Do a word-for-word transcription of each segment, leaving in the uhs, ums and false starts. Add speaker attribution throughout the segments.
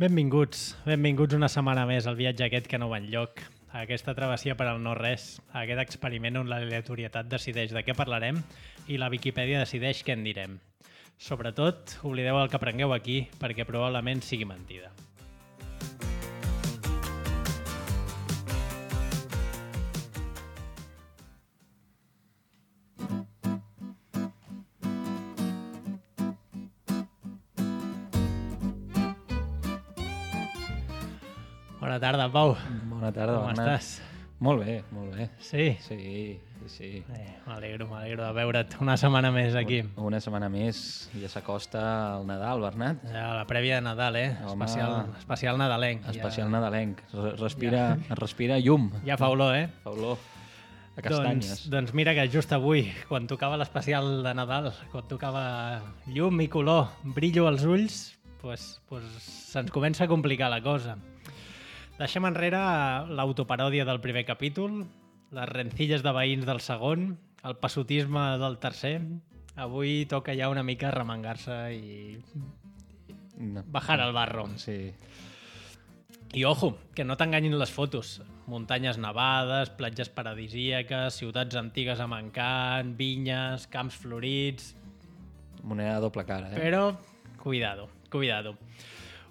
Speaker 1: Benvinguts, benvinguts una setmana més al viatge aquest que no va enlloc, a aquesta travessia per al no-res, a aquest experiment on l'aleatorietat decideix de què parlarem i la Viquipèdia decideix què en direm. Sobretot, oblideu el que aprengueu aquí, perquè probablement sigui mentida. Bona tarda, Pau.
Speaker 2: Bona tarda,
Speaker 1: Com
Speaker 2: Bernat.
Speaker 1: estàs?
Speaker 2: Molt bé, molt bé.
Speaker 1: Sí?
Speaker 2: Sí, sí, sí.
Speaker 1: Eh, m'alegro, m'alegro de veure't una setmana més aquí.
Speaker 2: Una setmana més, ja s'acosta el Nadal, Bernat.
Speaker 1: Ja, la prèvia de Nadal, eh?
Speaker 2: Home.
Speaker 1: Especial, especial nadalenc.
Speaker 2: Especial
Speaker 1: ja,
Speaker 2: nadalenc. Re- Respira, ja. respira llum.
Speaker 1: Ja fa olor, eh?
Speaker 2: Fa olor a castanyes.
Speaker 1: Doncs, doncs mira que just avui, quan tocava l'especial de Nadal, quan tocava llum i color, brillo als ulls, pues, pues se'ns comença a complicar la cosa. Deixem enrere l'autoparòdia del primer capítol, les rencilles de veïns del segon, el passotisme del tercer. Avui toca ja una mica remengar-se i
Speaker 2: No.
Speaker 1: bajar al barro.
Speaker 2: Sí.
Speaker 1: I ojo, que no t'enganyin les fotos. Muntanyes nevades, platges paradisíaques, ciutats antigues amb encant, vinyes, camps florits...
Speaker 2: Moneda de doble cara, eh?
Speaker 1: Però, cuidado, cuidado.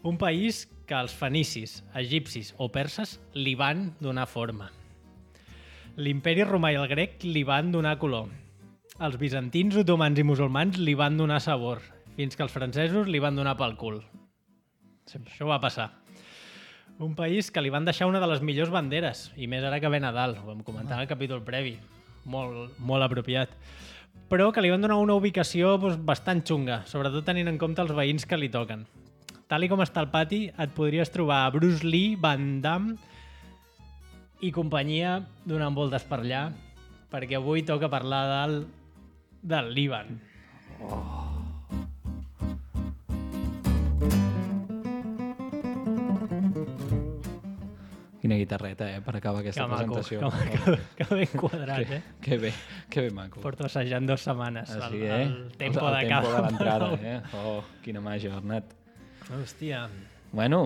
Speaker 1: Un país que els fenicis, egipcis o perses li van donar forma. L'imperi romà i el grec li van donar color. Els bizantins, otomans i musulmans li van donar sabor, fins que els francesos li van donar pel cul. Això va passar. Un país que li van deixar una de les millors banderes, i més ara que ve Nadal, ho vam comentar en el capítol previ, molt, molt apropiat, però que li van donar una ubicació doncs, bastant xunga, sobretot tenint en compte els veïns que li toquen. Tal i com està el pati, et podries trobar Bruce Lee, Van Damme i companyia donant voltes per allà, perquè avui toca parlar del, del Líban.
Speaker 2: Quina guitarreta, eh, per acabar aquesta
Speaker 1: Que maco,
Speaker 2: presentació.
Speaker 1: que, que, que ben quadrat,
Speaker 2: que,
Speaker 1: eh?
Speaker 2: que bé, que bé maco.
Speaker 1: Porto assajant dues setmanes.
Speaker 2: Així,
Speaker 1: el,
Speaker 2: eh?
Speaker 1: el tempo
Speaker 2: el
Speaker 1: de
Speaker 2: tempo
Speaker 1: cada...
Speaker 2: de l'entrada, eh? Oh, quina màgia, Bernat.
Speaker 1: Hòstia.
Speaker 2: Bueno,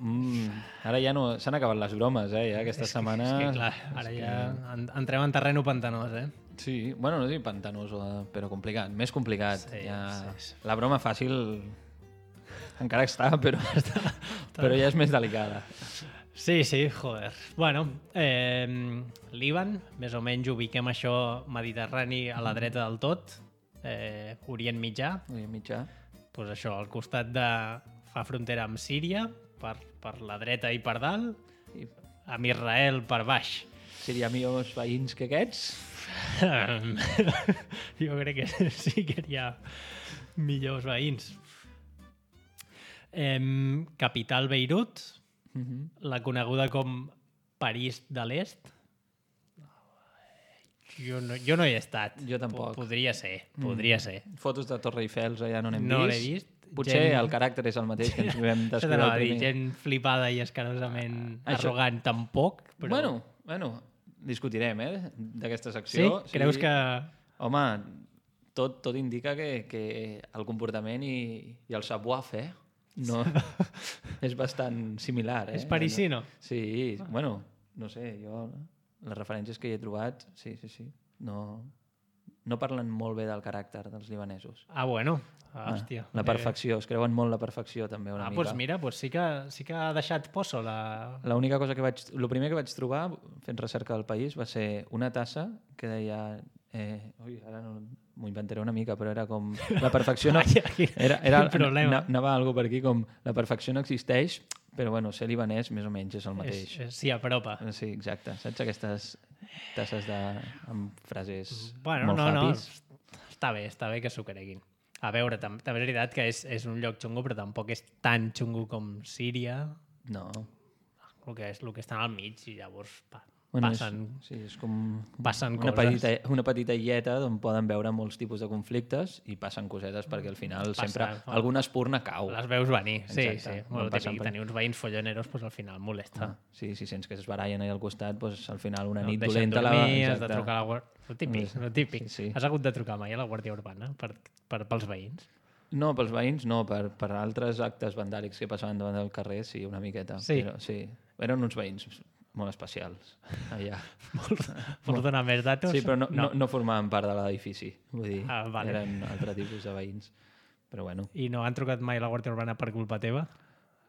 Speaker 2: mm, ara ja no... S'han acabat les bromes, eh? Ja aquesta
Speaker 1: És que-
Speaker 2: setmana...
Speaker 1: És que, clar, ara
Speaker 2: és
Speaker 1: ja en- entrem en terreno pantanós, eh?
Speaker 2: Sí, bueno, no dic pantanós, eh, però complicat, més complicat.
Speaker 1: Sí,
Speaker 2: ja...
Speaker 1: sí, sí.
Speaker 2: La broma fàcil encara està, però, però ja és més delicada.
Speaker 1: Sí, sí, joder. Bueno, eh, Líban, més o menys ubiquem això mediterrani a la dreta del tot, eh, Orient Mitjà,
Speaker 2: Orient Mitjà.
Speaker 1: doncs això, al costat de... fa frontera amb Síria, per, per la dreta i per dalt,
Speaker 2: I
Speaker 1: amb Israel per baix.
Speaker 2: seria millors veïns que aquests?
Speaker 1: Jo crec que sí que hi ha millors veïns. Eh, capital Beirut,
Speaker 2: Mm -hmm.
Speaker 1: la coneguda com París de l'Est. Jo no, jo no hi he estat.
Speaker 2: Jo tampoc.
Speaker 1: Podria ser, podria ser.
Speaker 2: Fotos de Torre Eiffel ja no n'hem
Speaker 1: No
Speaker 2: vist.
Speaker 1: l'he vist.
Speaker 2: Potser
Speaker 1: Gent-
Speaker 2: el caràcter és el mateix que ens vam
Speaker 1: Això
Speaker 2: descriure
Speaker 1: t'anava
Speaker 2: al
Speaker 1: a dir,
Speaker 2: primer.
Speaker 1: gent flipada i escarosament
Speaker 2: Això-
Speaker 1: arrogant tampoc, però...
Speaker 2: Bueno, bueno, discutirem, eh, d'aquesta
Speaker 1: sí?
Speaker 2: secció.
Speaker 1: Creus que...
Speaker 2: Home, tot, tot indica que, que el comportament i, i el savoir-faire no, és bastant similar. Eh?
Speaker 1: És parisino?
Speaker 2: Sí, bueno, no sé, jo les referències que hi he trobat, sí, sí, sí, no, no parlen molt bé del caràcter dels libanesos.
Speaker 1: Ah, bueno. Ah, hòstia.
Speaker 2: La perfecció, es creuen molt la perfecció també una
Speaker 1: Ah,
Speaker 2: mica.
Speaker 1: doncs mira, doncs sí que, sí que ha deixat poso la...
Speaker 2: L'única cosa que vaig... El primer que vaig trobar fent recerca del país va ser una tassa que deia... Eh, ui, ara no, m'ho inventaré una mica, però era com... La perfecció no...
Speaker 1: Ai, ai,
Speaker 2: Era, era,
Speaker 1: quin problema.
Speaker 2: na- Anava algo per aquí com... La perfecció no existeix, però bueno, ser libanès més o menys és el mateix.
Speaker 1: És, és, s'hi apropa.
Speaker 2: Sí, exacte. Saps aquestes tasses de... amb frases
Speaker 1: Bueno,
Speaker 2: molt
Speaker 1: no, no,
Speaker 2: happies?
Speaker 1: està bé, està bé que s'ho creguin. A veure, tam també és veritat que és, és un lloc xungo, però tampoc és tan xungo com Síria,
Speaker 2: No.
Speaker 1: el que, és, el que estan al mig, i llavors pa,
Speaker 2: Bueno,
Speaker 1: passen,
Speaker 2: és, sí, és com
Speaker 1: passen
Speaker 2: una
Speaker 1: coses.
Speaker 2: petita, una petita illeta on poden veure molts tipus de conflictes i passen cosetes perquè al final
Speaker 1: Passa,
Speaker 2: sempre
Speaker 1: fa-
Speaker 2: alguna espurna cau.
Speaker 1: Les veus venir, sí,
Speaker 2: Exacte.
Speaker 1: sí.
Speaker 2: Van
Speaker 1: Bueno,
Speaker 2: passant
Speaker 1: típic,
Speaker 2: per-
Speaker 1: tenir uns veïns folloneros, doncs al final molesta.
Speaker 2: Ah, sí, si sents que es barallen ahí al costat, doncs al final una
Speaker 1: No
Speaker 2: nit
Speaker 1: et deixen
Speaker 2: dolenta...
Speaker 1: dormir,
Speaker 2: la...
Speaker 1: has de trucar a la guàrdia... El típic,
Speaker 2: Sí,
Speaker 1: el típic.
Speaker 2: sí, sí.
Speaker 1: Has hagut de trucar mai a la Guàrdia Urbana per, per, pels veïns?
Speaker 2: No, pels veïns no, per, per altres actes vandàlics que passaven davant del carrer, sí, una miqueta.
Speaker 1: Sí.
Speaker 2: Però, sí. Eren uns veïns molt especials, allà.
Speaker 1: Vols donar més datos?
Speaker 2: Sí, però no, no. no, no formaven part de l'edifici. Vull dir,
Speaker 1: Ah, vale.
Speaker 2: eren altre tipus de veïns. Però bueno.
Speaker 1: I no han trucat mai a la Guàrdia Urbana per culpa teva?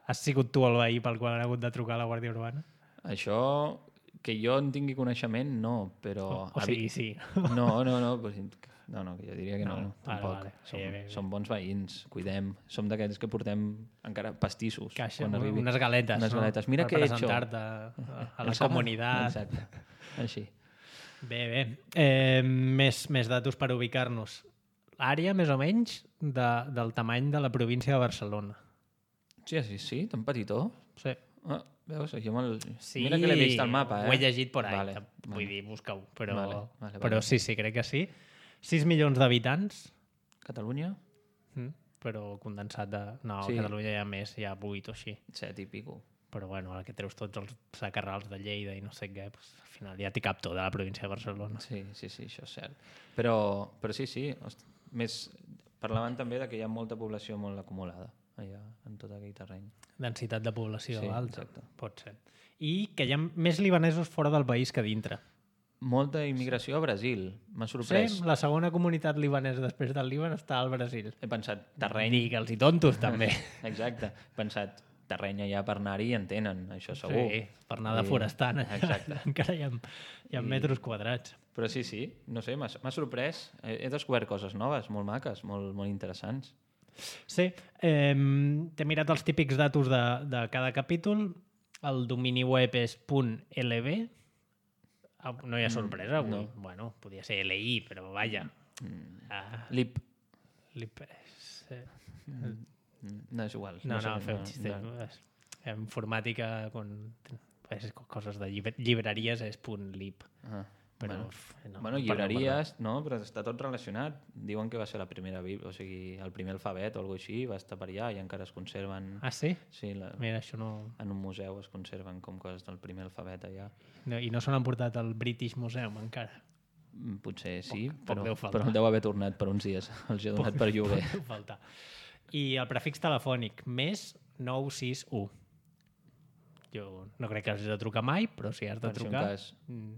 Speaker 1: Has sigut tu el veí pel qual han hagut de trucar a la Guàrdia Urbana?
Speaker 2: Això, que jo en tingui coneixement, no, però...
Speaker 1: O, o sigui, sí.
Speaker 2: No, no, no, pues, no, no, que jo diria que no,
Speaker 1: No,
Speaker 2: no
Speaker 1: vale,
Speaker 2: tampoc.
Speaker 1: vale.
Speaker 2: Som,
Speaker 1: Bé, bé, bé.
Speaker 2: som bons veïns, cuidem. Som d'aquells que portem encara pastissos.
Speaker 1: Caixa,
Speaker 2: quan arribi.
Speaker 1: unes galetes,
Speaker 2: Unes
Speaker 1: no?
Speaker 2: galetes. Mira
Speaker 1: per
Speaker 2: què he hecho.
Speaker 1: presentar-te a, a la
Speaker 2: El sábado.
Speaker 1: comunitat.
Speaker 2: Exacte, així.
Speaker 1: Bé, bé. Eh, més, més datos per ubicar-nos. Àrea, més o menys, de, del tamany de la província de Barcelona.
Speaker 2: Sí, sí, sí, tan petitó.
Speaker 1: Sí.
Speaker 2: Ah, veus, jo me'l...
Speaker 1: Sí,
Speaker 2: Mira que l'he vist al mapa, eh?
Speaker 1: ho he llegit por ahí,
Speaker 2: Vale,
Speaker 1: vull
Speaker 2: vale.
Speaker 1: dir, busca-ho. Però,
Speaker 2: Vale, vale,
Speaker 1: però
Speaker 2: vale.
Speaker 1: sí, sí, crec que sí. sis milions d'habitants,
Speaker 2: Catalunya,
Speaker 1: mm, però condensat de... No,
Speaker 2: Sí.
Speaker 1: a Catalunya hi ha més, hi ha vuit o així.
Speaker 2: set i pico.
Speaker 1: Però bueno, ara que treus tots els sacarrals de Lleida i no sé què, doncs, al final ja t'hi cap tot de la província de Barcelona.
Speaker 2: Sí, sí, sí, això és cert. Però, però sí, sí, host, més... Parlaven també de que hi ha molta població molt acumulada allà, en tot aquell terreny.
Speaker 1: Densitat de població
Speaker 2: Sí,
Speaker 1: alta,
Speaker 2: exacte.
Speaker 1: pot ser. I que hi ha més libanesos fora del país que dintre.
Speaker 2: Molta immigració a Brasil, m'ha sorprès.
Speaker 1: Sí, la segona comunitat libanesa després del Líban està al Brasil.
Speaker 2: He pensat, terreny...
Speaker 1: Digue'ls i tontos, també.
Speaker 2: Exacte, he pensat, terreny allà per anar-hi en tenen, això segur.
Speaker 1: Sí, per anar de forestant.
Speaker 2: Exacte.
Speaker 1: Encara hi ha, hi ha
Speaker 2: I-
Speaker 1: metres quadrats.
Speaker 2: Però sí, sí, no sé, m'ha m'ha sorprès. He, he descobert coses noves, molt maques, molt, molt interessants.
Speaker 1: Sí, eh, t'he mirat els típics datos de, de cada capítol. El domini web és .lb. Ah, no hi ha sorpresa avui.
Speaker 2: no.
Speaker 1: Bueno, podia ser li, però vaja. Ah,
Speaker 2: Lip,
Speaker 1: lip, sí.
Speaker 2: no és igual.
Speaker 1: No, no,
Speaker 2: sé,
Speaker 1: fem un xiste.
Speaker 2: no.
Speaker 1: En informàtica, quan és coses de llibre, llibreries, és .lib.
Speaker 2: Ah,
Speaker 1: Però,
Speaker 2: bueno.
Speaker 1: f- no,
Speaker 2: bueno,
Speaker 1: no parlem,
Speaker 2: llibreries, no, però està tot relacionat. Diuen que va ser la primera bíblia, o sigui, el primer alfabet o alguna així, va estar per allà i encara es conserven...
Speaker 1: Ah, sí?
Speaker 2: Sí, la,
Speaker 1: Mira, això no...
Speaker 2: en un museu es conserven com coses del primer alfabet allà.
Speaker 1: no I no se n'han portat al British Museum encara.
Speaker 2: Mm, Potser sí,
Speaker 1: Poc- poc
Speaker 2: però,
Speaker 1: deu faltar.
Speaker 2: però deu haver tornat per uns dies. Els he donat per lloguer.
Speaker 1: Deu faltar. I el prefix telefònic, més nou sis u. Jo no crec que hagis de trucar mai, però si has de
Speaker 2: Per si un
Speaker 1: trucar...
Speaker 2: cas.
Speaker 1: mm,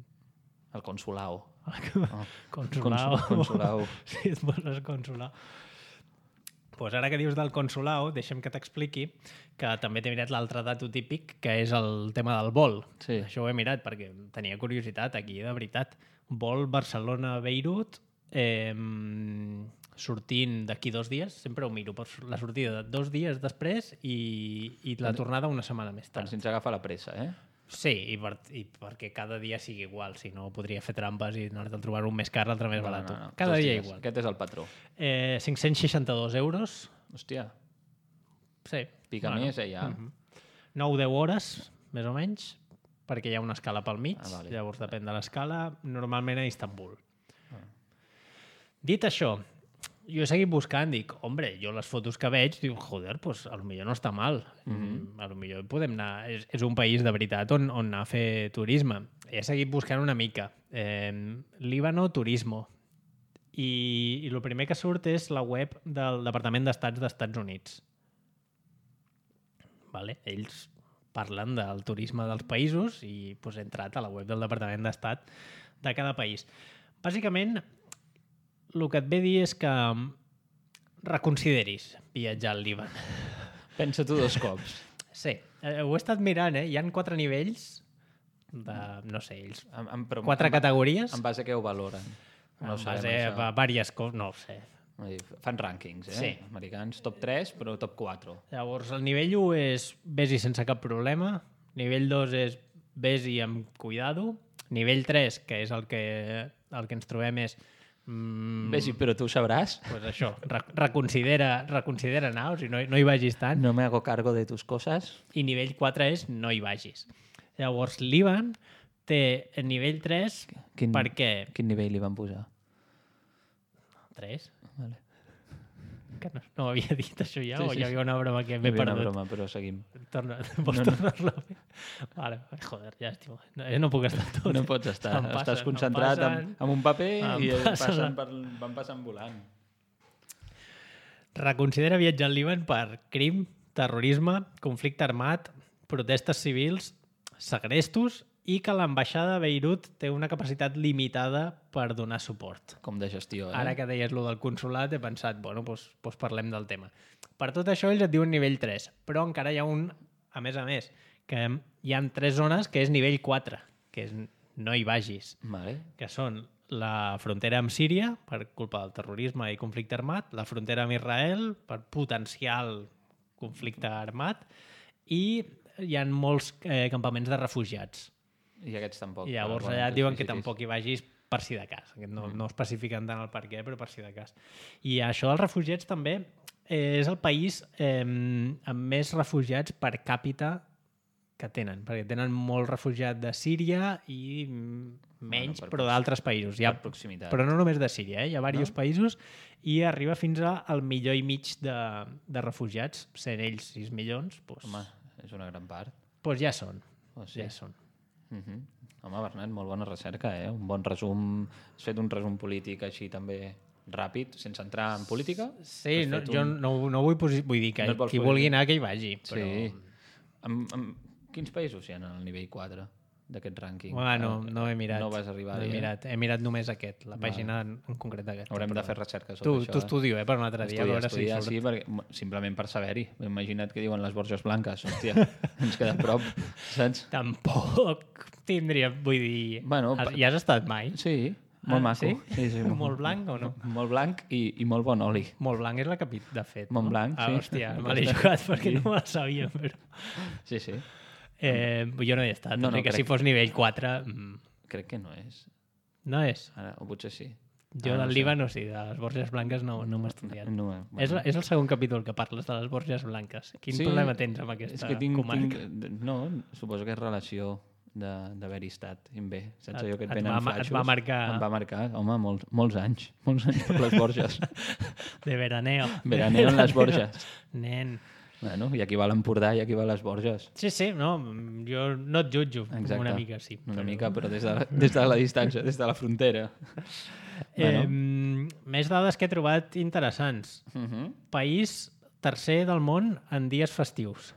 Speaker 2: El consulao. Oh.
Speaker 1: Consulao.
Speaker 2: Consul- consulao.
Speaker 1: Si et poses consulao. Pues ara que dius del consulao, deixa'm que t'expliqui que també t'he mirat l'altre dato típic, que és el tema del vol.
Speaker 2: Sí.
Speaker 1: Això ho he mirat perquè tenia curiositat aquí, de veritat. Vol Barcelona-Beirut, eh, sortint d'aquí dos dies, sempre ho miro, per la sortida de dos dies després i, i la tornada una setmana més
Speaker 2: Per
Speaker 1: tard.
Speaker 2: si ens agafa la pressa, eh?
Speaker 1: Sí, i, per, i perquè cada dia sigui igual, si no podria fer trampes i anar-te a trobar un més car, l'altre més barat. Cada
Speaker 2: Dos
Speaker 1: dia
Speaker 2: dies.
Speaker 1: igual.
Speaker 2: Aquest és el patró.
Speaker 1: Eh, cinc-cents seixanta-dos euros.
Speaker 2: Hòstia,
Speaker 1: Sí.
Speaker 2: pica
Speaker 1: Bueno.
Speaker 2: més, eh, ja.
Speaker 1: nou a deu hores, més o menys, perquè hi ha una escala pel mig,
Speaker 2: Ah, vale.
Speaker 1: llavors depèn de l'escala, normalment a Istanbul. Ah. Dit això, jo he seguit buscant, dic, hombre, jo les fotos que veig, dic, joder, pues a lo millor no està mal. Mm -hmm. A lo millor podem anar... És, és un país de veritat on, on anar a fer turisme. He seguit buscant una mica. Eh, Líbano Turismo. I, I el primer que surt és la web del Departament d'Estats d'Estats Units. Vale? Ells parlen del turisme dels països i pues, he entrat a la web del Departament d'Estat de cada país. Bàsicament, el que et ve a dir és que reconsideris viatjar al Líban.
Speaker 2: Pensa-t'ho dos cops.
Speaker 1: Sí, eh, ho he estat mirant, eh? Hi han quatre nivells de, no sé, ells...
Speaker 2: En, en, però,
Speaker 1: Quatre
Speaker 2: en,
Speaker 1: categories
Speaker 2: En base a què ho valoren?
Speaker 1: en
Speaker 2: ho sabem,
Speaker 1: base
Speaker 2: això.
Speaker 1: a diverses coses, no ho sé.
Speaker 2: Vull dir, fan rànquings, eh?
Speaker 1: Sí.
Speaker 2: Americans, top tres, però top quatre.
Speaker 1: Llavors, el nivell u és vés-hi sense cap problema, nivell dos és vés-hi amb cuidado, nivell tres, que és el que, el que ens trobem és... Mm,
Speaker 2: Bé, sí, però tu ho sabràs.
Speaker 1: pues això, re reconsidera, reconsidera anar, o sigui, no, no hi vagis tant.
Speaker 2: No me hago cargo de tus cosas.
Speaker 1: I nivell quatre és no hi vagis. Llavors, l'Ivan té el nivell tres
Speaker 2: Quin,
Speaker 1: perquè...
Speaker 2: Quin nivell li van posar?
Speaker 1: tres?
Speaker 2: Vale.
Speaker 1: Que no, no ho havia dit això ja,
Speaker 2: Sí,
Speaker 1: o
Speaker 2: sí,
Speaker 1: hi havia una broma que
Speaker 2: Hi
Speaker 1: m'he
Speaker 2: havia una
Speaker 1: perdut?
Speaker 2: broma, però seguim.
Speaker 1: Torna, vols
Speaker 2: No, no.
Speaker 1: tornar-lo a fer? Vale, joder, llàstima. No, jo no puc estar tot.
Speaker 2: No pots estar.
Speaker 1: Em passen,
Speaker 2: Estàs
Speaker 1: em
Speaker 2: concentrat
Speaker 1: passen.
Speaker 2: en, en un paper
Speaker 1: Em
Speaker 2: i
Speaker 1: passen.
Speaker 2: passen per, van passant volant.
Speaker 1: reconsidera viatjar al Líban per crim, terrorisme, conflicte armat, protestes civils, segrestos i que l'ambaixada de Beirut té una capacitat limitada per donar suport.
Speaker 2: Com de gestió, eh?
Speaker 1: Ara que deies lo del consolat, he pensat, bueno, doncs, doncs parlem del tema. Per tot això, ells et diuen nivell tres, però encara hi ha un, a més a més, que hi ha tres zones que és nivell quatre, que és no hi vagis,
Speaker 2: Vale.
Speaker 1: que són la frontera amb Síria, per culpa del terrorisme i conflicte armat, la frontera amb Israel, per potencial conflicte armat, i hi ha molts eh, campaments de refugiats.
Speaker 2: I aquests tampoc.
Speaker 1: I llavors
Speaker 2: però,
Speaker 1: allà
Speaker 2: bueno,
Speaker 1: diuen
Speaker 2: sí,
Speaker 1: que
Speaker 2: sí,
Speaker 1: tampoc
Speaker 2: sí.
Speaker 1: hi vagis per si de cas. No, no especifiquen tant el per què, però per si de cas. I això dels refugiats també eh, és el país eh, amb més refugiats per càpita que tenen, perquè tenen molt refugiat de Síria i menys,
Speaker 2: Bueno, per
Speaker 1: però d'altres països. Hi ha,
Speaker 2: per proximitat.
Speaker 1: però no només de Síria, eh? Hi ha diversos
Speaker 2: No?
Speaker 1: països i arriba fins al milió i mig de, de refugiats, sent ells sis milions, doncs,
Speaker 2: Home, és una gran part.
Speaker 1: doncs ja són.
Speaker 2: Oh, sí.
Speaker 1: Ja són.
Speaker 2: Uh -huh. Home, Bernat, molt bona recerca, eh? Un bon resum. Has fet un resum polític així també ràpid, sense entrar en política?
Speaker 1: Sí,
Speaker 2: Has
Speaker 1: no,
Speaker 2: fet
Speaker 1: jo
Speaker 2: un-
Speaker 1: no, no vull, posi... vull dir que
Speaker 2: No et vols
Speaker 1: qui
Speaker 2: posar-
Speaker 1: vulgui anar que hi vagi. Però...
Speaker 2: Sí. Amb, amb... Quins països hi ha al nivell quatre d'aquest rànquing?
Speaker 1: Bueno,
Speaker 2: Ah,
Speaker 1: no he mirat.
Speaker 2: No vas arribar
Speaker 1: no
Speaker 2: a
Speaker 1: he
Speaker 2: dir, eh?
Speaker 1: mirat. He mirat només aquest, la pàgina en, en concret aquesta.
Speaker 2: Haurem
Speaker 1: però...
Speaker 2: de fer recerca sobre
Speaker 1: Tu,
Speaker 2: això.
Speaker 1: tu estudio, eh, per un altre dia, a
Speaker 2: Estudiar,
Speaker 1: veure
Speaker 2: estudiar,
Speaker 1: si
Speaker 2: sí,
Speaker 1: surt.
Speaker 2: perquè, simplement per saber-hi. Imagina't que diuen les Borges Blanques. Hòstia, ens queda a prop, saps?
Speaker 1: Tampoc tindria, vull dir...
Speaker 2: Bueno,
Speaker 1: has,
Speaker 2: pa-
Speaker 1: hi has estat mai?
Speaker 2: Sí, molt
Speaker 1: Ah,
Speaker 2: maco.
Speaker 1: sí?
Speaker 2: Sí, sí,
Speaker 1: Molt blanc o no?
Speaker 2: Molt blanc i, i molt bon oli.
Speaker 1: Molt blanc és la que de fet, no?
Speaker 2: Montblanc,
Speaker 1: ah,
Speaker 2: sí.
Speaker 1: Hòstia, me l'he jugat perquè
Speaker 2: Sí.
Speaker 1: no me la sabia, però...
Speaker 2: Sí, sí.
Speaker 1: Eh, jo no hi he estat,
Speaker 2: No,
Speaker 1: no,
Speaker 2: no,
Speaker 1: que
Speaker 2: crec-
Speaker 1: si fos nivell quatre... mm,
Speaker 2: Crec que no és.
Speaker 1: No és.
Speaker 2: Ara, o potser sí.
Speaker 1: Jo
Speaker 2: Ara
Speaker 1: del
Speaker 2: no sé.
Speaker 1: Líban, sí, de les Borges Blanques no, no m'he estudiat.
Speaker 2: No, bueno.
Speaker 1: És, la, és el segon capítol que parles de les Borges Blanques. Quin
Speaker 2: Sí,
Speaker 1: problema tens amb aquesta
Speaker 2: és que tinc,
Speaker 1: comarca?
Speaker 2: tinc, no, suposo que és relació de- d'haver-hi estat bé. Saps
Speaker 1: Et-
Speaker 2: allò que et
Speaker 1: et
Speaker 2: venen
Speaker 1: va ma- et
Speaker 2: flaixos?
Speaker 1: va marcar-
Speaker 2: Em va marcar, home, molts, molts anys. Molts anys per les Borges.
Speaker 1: De veraneo.
Speaker 2: Veraneo en les Borges.
Speaker 1: Nen.
Speaker 2: Bueno, i aquí va l'Empordà i aquí va les Borges.
Speaker 1: Sí, sí, no, jo no et jutjo,
Speaker 2: Exacte.
Speaker 1: una mica sí.
Speaker 2: Una mica, però des de, la, des de la distància, des de la frontera.
Speaker 1: Eh, més dades que he trobat interessants.
Speaker 2: Uh -huh.
Speaker 1: País tercer del món en dies festius.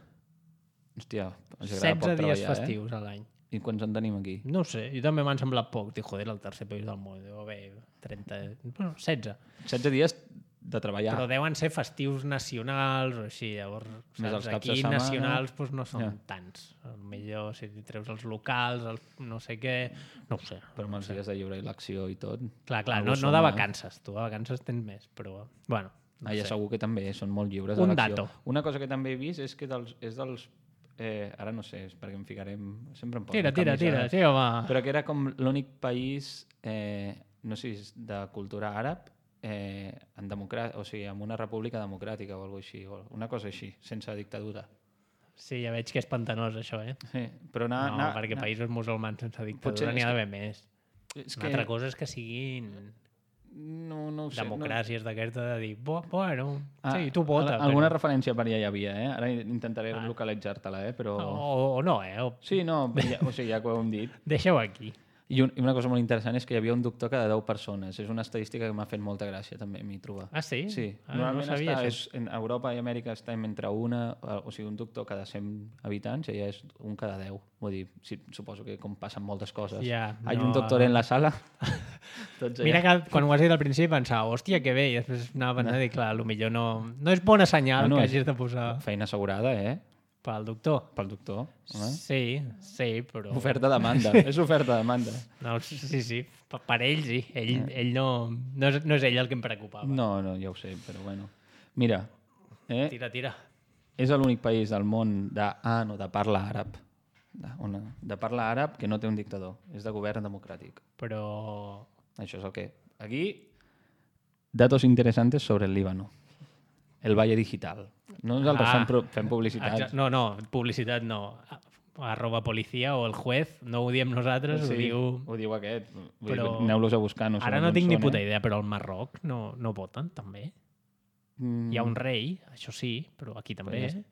Speaker 2: Hòstia, ens agrada
Speaker 1: setze
Speaker 2: poc
Speaker 1: dies
Speaker 2: treballar,
Speaker 1: festius a l'any.
Speaker 2: Eh? I quants en tenim aquí?
Speaker 1: No ho sé, jo també m'han semblat poc. Dic, joder, el tercer país del món. Deu haver trenta... Bueno, setze.
Speaker 2: setze dies de treballar.
Speaker 1: Però deuen ser festius nacionals o així, llavors
Speaker 2: Més
Speaker 1: saps,
Speaker 2: els caps de
Speaker 1: aquí
Speaker 2: setmana.
Speaker 1: nacionals doncs, no són
Speaker 2: Ja.
Speaker 1: tants. Millor si treus els locals, el no sé què... No ho sé.
Speaker 2: Però amb els dies de lliure elecció i tot.
Speaker 1: Clar, clar,
Speaker 2: algú
Speaker 1: no, no
Speaker 2: suma.
Speaker 1: de vacances. Tu de vacances tens més, però... Bueno, no
Speaker 2: Ah, ja
Speaker 1: sé.
Speaker 2: segur que també són molt lliures
Speaker 1: Un
Speaker 2: d'elecció.
Speaker 1: dato.
Speaker 2: Una cosa que també he vist és que dels, és dels... Eh, ara no sé, és perquè em ficarem... Sempre em poso
Speaker 1: Tira, tira, tira.
Speaker 2: camisa-
Speaker 1: Sí, home.
Speaker 2: Però que era com l'únic país, eh, no sé si és de cultura àrab, eh, en democrà... o sigui, amb una república democràtica o alguna així, o una cosa així, sense dictadura.
Speaker 1: Sí, ja veig que és pantanós, això, eh?
Speaker 2: Sí, però anar...
Speaker 1: No,
Speaker 2: anar,
Speaker 1: perquè
Speaker 2: anar...
Speaker 1: països musulmans sense
Speaker 2: Potser
Speaker 1: dictadura n'hi
Speaker 2: és
Speaker 1: ha
Speaker 2: que-
Speaker 1: d'haver més.
Speaker 2: És
Speaker 1: Una altra cosa és que siguin
Speaker 2: No, no ho sé.
Speaker 1: democràcies d'aquesta de dir, "Bo- bueno,
Speaker 2: No...
Speaker 1: sí, tu vota.
Speaker 2: al- Alguna
Speaker 1: però...
Speaker 2: referència per allà hi havia, eh? Ara intentaré
Speaker 1: Ah.
Speaker 2: localitzar-te-la, eh? Però...
Speaker 1: O, o no, eh? O...
Speaker 2: Sí, no, ja, o sigui, ja que ho hem dit.
Speaker 1: Deixa-ho aquí.
Speaker 2: I, un, I una cosa molt interessant és que hi havia un doctor cada deu persones. És una estadística que m'ha fet molta gràcia també a mi trobar.
Speaker 1: Ah, sí?
Speaker 2: Sí,
Speaker 1: Ah, no
Speaker 2: normalment
Speaker 1: sabia
Speaker 2: està,
Speaker 1: això.
Speaker 2: és, en Europa i Amèrica estem entre una, o sigui, un doctor cada cent habitants, i ja és un cada deu. Vull dir, sí, suposo que com passen moltes coses.
Speaker 1: Ja,
Speaker 2: Hay
Speaker 1: no,
Speaker 2: un doctor en la sala. Tots
Speaker 1: Mira
Speaker 2: allà.
Speaker 1: que quan ho has dit al principi pensava, hòstia, que bé, i després anava pensant i clar, potser no, no és bona senyal
Speaker 2: Ah, no,
Speaker 1: que
Speaker 2: és-
Speaker 1: hagis de posar
Speaker 2: Feina assegurada, eh?
Speaker 1: pel doctor.
Speaker 2: Pel doctor. Home.
Speaker 1: Sí, sí, però...
Speaker 2: Oferta-demanda. És oferta-demanda.
Speaker 1: No, sí, sí, per, per ell sí. Ell, ell no, no, és, no és ell el que em preocupava.
Speaker 2: No, no, ja ho sé, però bueno. Mira, eh?
Speaker 1: Tira, tira.
Speaker 2: és l'únic país del món de, ah, no, de parla àrab, de, una, de parla àrab que no té un dictador, és de govern democràtic.
Speaker 1: Però...
Speaker 2: Això és el que... Aquí, datos interesantes sobre el Líbano. El Valle Digital. No nosaltres
Speaker 1: Ah.
Speaker 2: fem, pro- fem publicitats.
Speaker 1: Exacte. No, no, publicitat no. Arroba policia o el juez, no ho diem nosaltres, ho diu...
Speaker 2: ho diu aquest. Vull
Speaker 1: Però-
Speaker 2: dir, aneu-los a buscar. No
Speaker 1: Ara
Speaker 2: sabem
Speaker 1: no
Speaker 2: on
Speaker 1: tinc ni
Speaker 2: són,
Speaker 1: puta
Speaker 2: eh?
Speaker 1: idea, però al Marroc no, no voten, també.
Speaker 2: Mm,
Speaker 1: Hi ha un rei, això sí, però aquí també.
Speaker 2: Però ja
Speaker 1: Eh?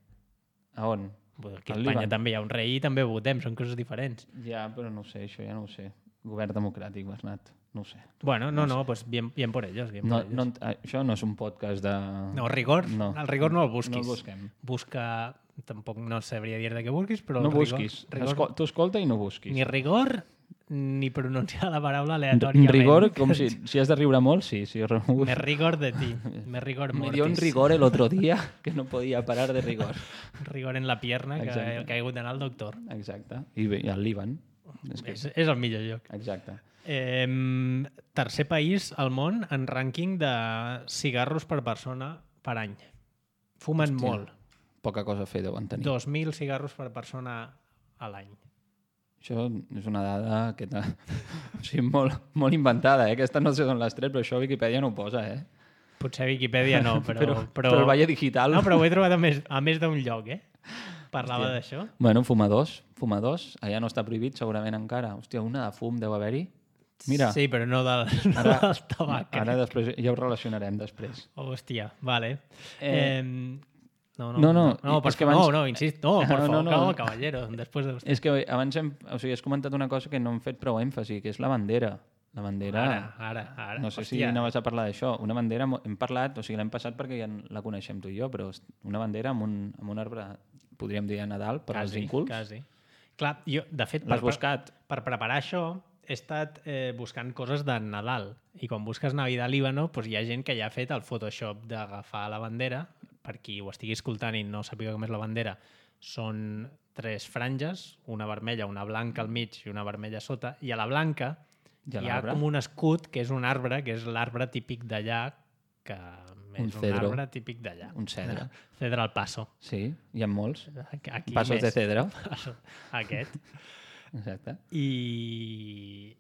Speaker 2: A on?
Speaker 1: Vull dir, Aquí a
Speaker 2: al
Speaker 1: Espanya
Speaker 2: Líban.
Speaker 1: també hi ha un rei i també votem, són coses diferents.
Speaker 2: Ja, però no ho sé, això ja no ho sé. Govern democràtic, Bernat. No ho sé.
Speaker 1: Bueno, no, no, pues bien, bien por ellos. Bien
Speaker 2: No,
Speaker 1: por ellos.
Speaker 2: no, això no és un podcast de...
Speaker 1: No, rigor,
Speaker 2: no.
Speaker 1: el rigor no el busquis.
Speaker 2: No el busquem.
Speaker 1: Busca, tampoc no sabria dir de què busquis, però
Speaker 2: No
Speaker 1: el rigor,
Speaker 2: busquis.
Speaker 1: rigor,
Speaker 2: Escol tu escolta i no busquis.
Speaker 1: ni rigor ni pronunciar la paraula aleatòriament.
Speaker 2: Rigor, com si, si has de riure molt, sí. sí.
Speaker 1: Me rigor de ti, me rigor
Speaker 2: Me
Speaker 1: mortis.
Speaker 2: dio un rigor el otro día que no podía parar de rigor.
Speaker 1: Rigor en la pierna, que
Speaker 2: Exacte.
Speaker 1: ha caigut d'anar al doctor.
Speaker 2: Exacte. I, bé, i el Líban. És que...
Speaker 1: És, és el millor lloc.
Speaker 2: Exacte.
Speaker 1: Eh, tercer país al món en rànquing de cigarros per persona per any. Fumen
Speaker 2: Hòstia.
Speaker 1: molt.
Speaker 3: Poca cosa a fer deuen tenir.
Speaker 1: dos mil cigarros per persona a l'any.
Speaker 2: Això és una dada que o sigui, molt, molt inventada, eh? Aquesta no sé d'on l'has tret, però això a Viquipèdia no ho posa, eh?
Speaker 1: Potser a Viquipèdia no, però...
Speaker 2: però, però, però el Valle Digital...
Speaker 1: No, però ho he trobat a més, a més d'un lloc, eh? Parlava
Speaker 2: Hòstia.
Speaker 1: d'això.
Speaker 2: Bueno, fumadors, fumadors. Allà no està prohibit, segurament encara. Hòstia, una de fum deu haver-hi. Mira,
Speaker 1: Sí, però no del, no
Speaker 2: Ara-
Speaker 1: del tabac.
Speaker 2: ara després, ja ho relacionarem després.
Speaker 1: Hòstia, vale.
Speaker 2: Eh,
Speaker 1: Eh, no, no,
Speaker 2: no, no,
Speaker 1: no, no,
Speaker 2: és
Speaker 1: per,
Speaker 2: que
Speaker 1: no,
Speaker 2: abans-
Speaker 1: no, insist, no, per
Speaker 2: No,
Speaker 1: favor,
Speaker 2: no,
Speaker 1: no,
Speaker 2: no.
Speaker 1: caballero, després de vostè.
Speaker 2: És que abans hem, o sigui, has comentat una cosa que no hem fet prou èmfasi, que és la bandera. La bandera...
Speaker 1: Ara, ara, ara.
Speaker 2: No sé
Speaker 1: Hòstia.
Speaker 2: si anaves a parlar d'això. Una bandera, mo- hem parlat, o sigui, l'hem passat perquè ja la coneixem tu i jo, però és una bandera amb un, amb un arbre, podríem dir a Nadal, per als
Speaker 1: Quasi,
Speaker 2: incults.
Speaker 1: quasi. Clar, jo, de fet,
Speaker 2: L'has buscat?
Speaker 1: per preparar això, he estat eh, buscant coses de Nadal. I quan busques Navidad Líbano, doncs hi ha gent que ja ha fet el Photoshop d'agafar la bandera. Per qui ho estigui escoltant i no sàpiga com és la bandera, són tres franges, una vermella, una blanca al mig i una vermella a sota. I a la blanca
Speaker 2: I a
Speaker 1: hi ha
Speaker 2: l'arbre?
Speaker 1: com un escut, que és un arbre, que és l'arbre típic d'allà, que
Speaker 2: Un
Speaker 1: és un
Speaker 2: cedro.
Speaker 1: arbre típic d'allà.
Speaker 2: Un cedre.
Speaker 1: Cedre al paso.
Speaker 2: Sí, hi ha molts.
Speaker 1: Aquí
Speaker 2: Passos
Speaker 1: més.
Speaker 2: de cedre.
Speaker 1: Aquest.
Speaker 2: Exacte.
Speaker 1: I,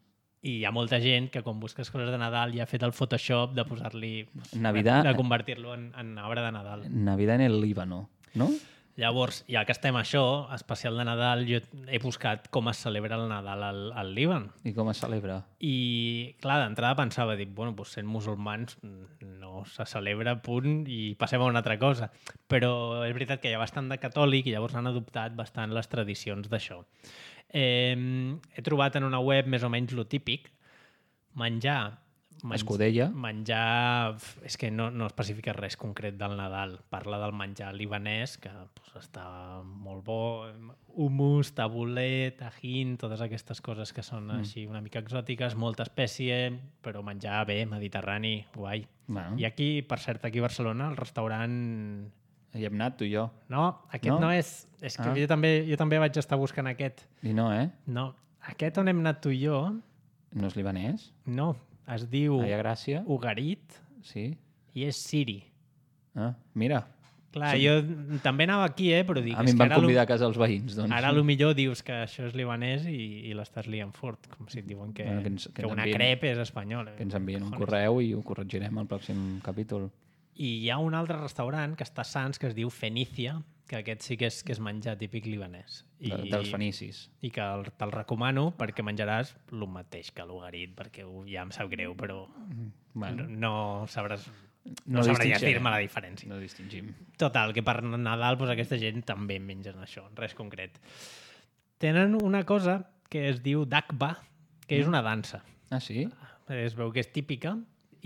Speaker 1: i hi ha molta gent que quan busques coses de Nadal ja ha fet el Photoshop de posar-li...
Speaker 2: Navidad-
Speaker 1: De, de convertir-lo en, en arbre de Nadal.
Speaker 2: Navidad en el Líbano, no?
Speaker 1: Llavors, ja que estem a això, especial de Nadal, jo he buscat com es celebra el Nadal al, al Líban.
Speaker 2: I com es celebra?
Speaker 1: I, clar, d'entrada pensava, dic, bueno, doncs sent musulmans no se celebra, punt, i passem a una altra cosa. Però és veritat que hi ha bastant de catòlic i llavors han adoptat bastant les tradicions d'això. Eh, he trobat en una web més o menys lo típic, menjar... menj-
Speaker 2: Escudella.
Speaker 1: Menjar... És que no, no especifica res concret del Nadal. Parla del menjar libanès, que pues, està molt bo. Hummus, tabulé, tajín, totes aquestes coses que són mm. així una mica exòtiques, molta espècie, però menjar bé, mediterrani, guai.
Speaker 2: Bueno,
Speaker 1: I aquí, per cert, aquí a Barcelona, el restaurant...
Speaker 2: hi hem anat tu i jo.
Speaker 1: No, aquest no,
Speaker 2: No?
Speaker 1: no és... És que
Speaker 2: Ah.
Speaker 1: jo, també, jo també vaig estar buscant aquest.
Speaker 2: I no, eh?
Speaker 1: No, aquest on hem anat tu i jo,
Speaker 2: No és libanès?
Speaker 1: no, es diu
Speaker 2: Allà a Gràcia?
Speaker 1: Ugarit
Speaker 2: Sí.
Speaker 1: i és siri.
Speaker 2: Ah, mira,
Speaker 1: Clar, sí. jo també anava aquí, eh, però dic...
Speaker 2: a
Speaker 1: és
Speaker 2: mi em
Speaker 1: que
Speaker 2: van
Speaker 1: ara lo-
Speaker 2: convidar a casa els veïns, doncs.
Speaker 1: Ara a lo millor dius que això és libanès i, i l'estàs liant fort, com si et diuen que,
Speaker 2: Bueno, que ens- que
Speaker 1: que
Speaker 2: ens
Speaker 1: una
Speaker 2: envien-
Speaker 1: crepe és espanyola.
Speaker 2: Que ens envien un
Speaker 1: Cojones.
Speaker 2: correu i ho corregirem al pròxim capítol.
Speaker 1: I hi ha un altre restaurant que està a Sants que es diu Fenicia, que aquest sí que és, que és menjar típic libanès. I,
Speaker 2: De, dels fenicis.
Speaker 1: I que el- te'l recomano perquè menjaràs el mateix que l'ugarit, perquè ho- ja em sap greu, però
Speaker 2: Bueno,
Speaker 1: no, no sabràs,
Speaker 2: no
Speaker 1: no sabràs
Speaker 2: distingirem.
Speaker 1: dir-me la diferència.
Speaker 2: No distingim.
Speaker 1: Total, que per Nadal doncs, aquesta gent també mengen això, res concret. Tenen una cosa que es diu dakba, que és una dansa.
Speaker 2: Ah, sí?
Speaker 1: Es veu que és típica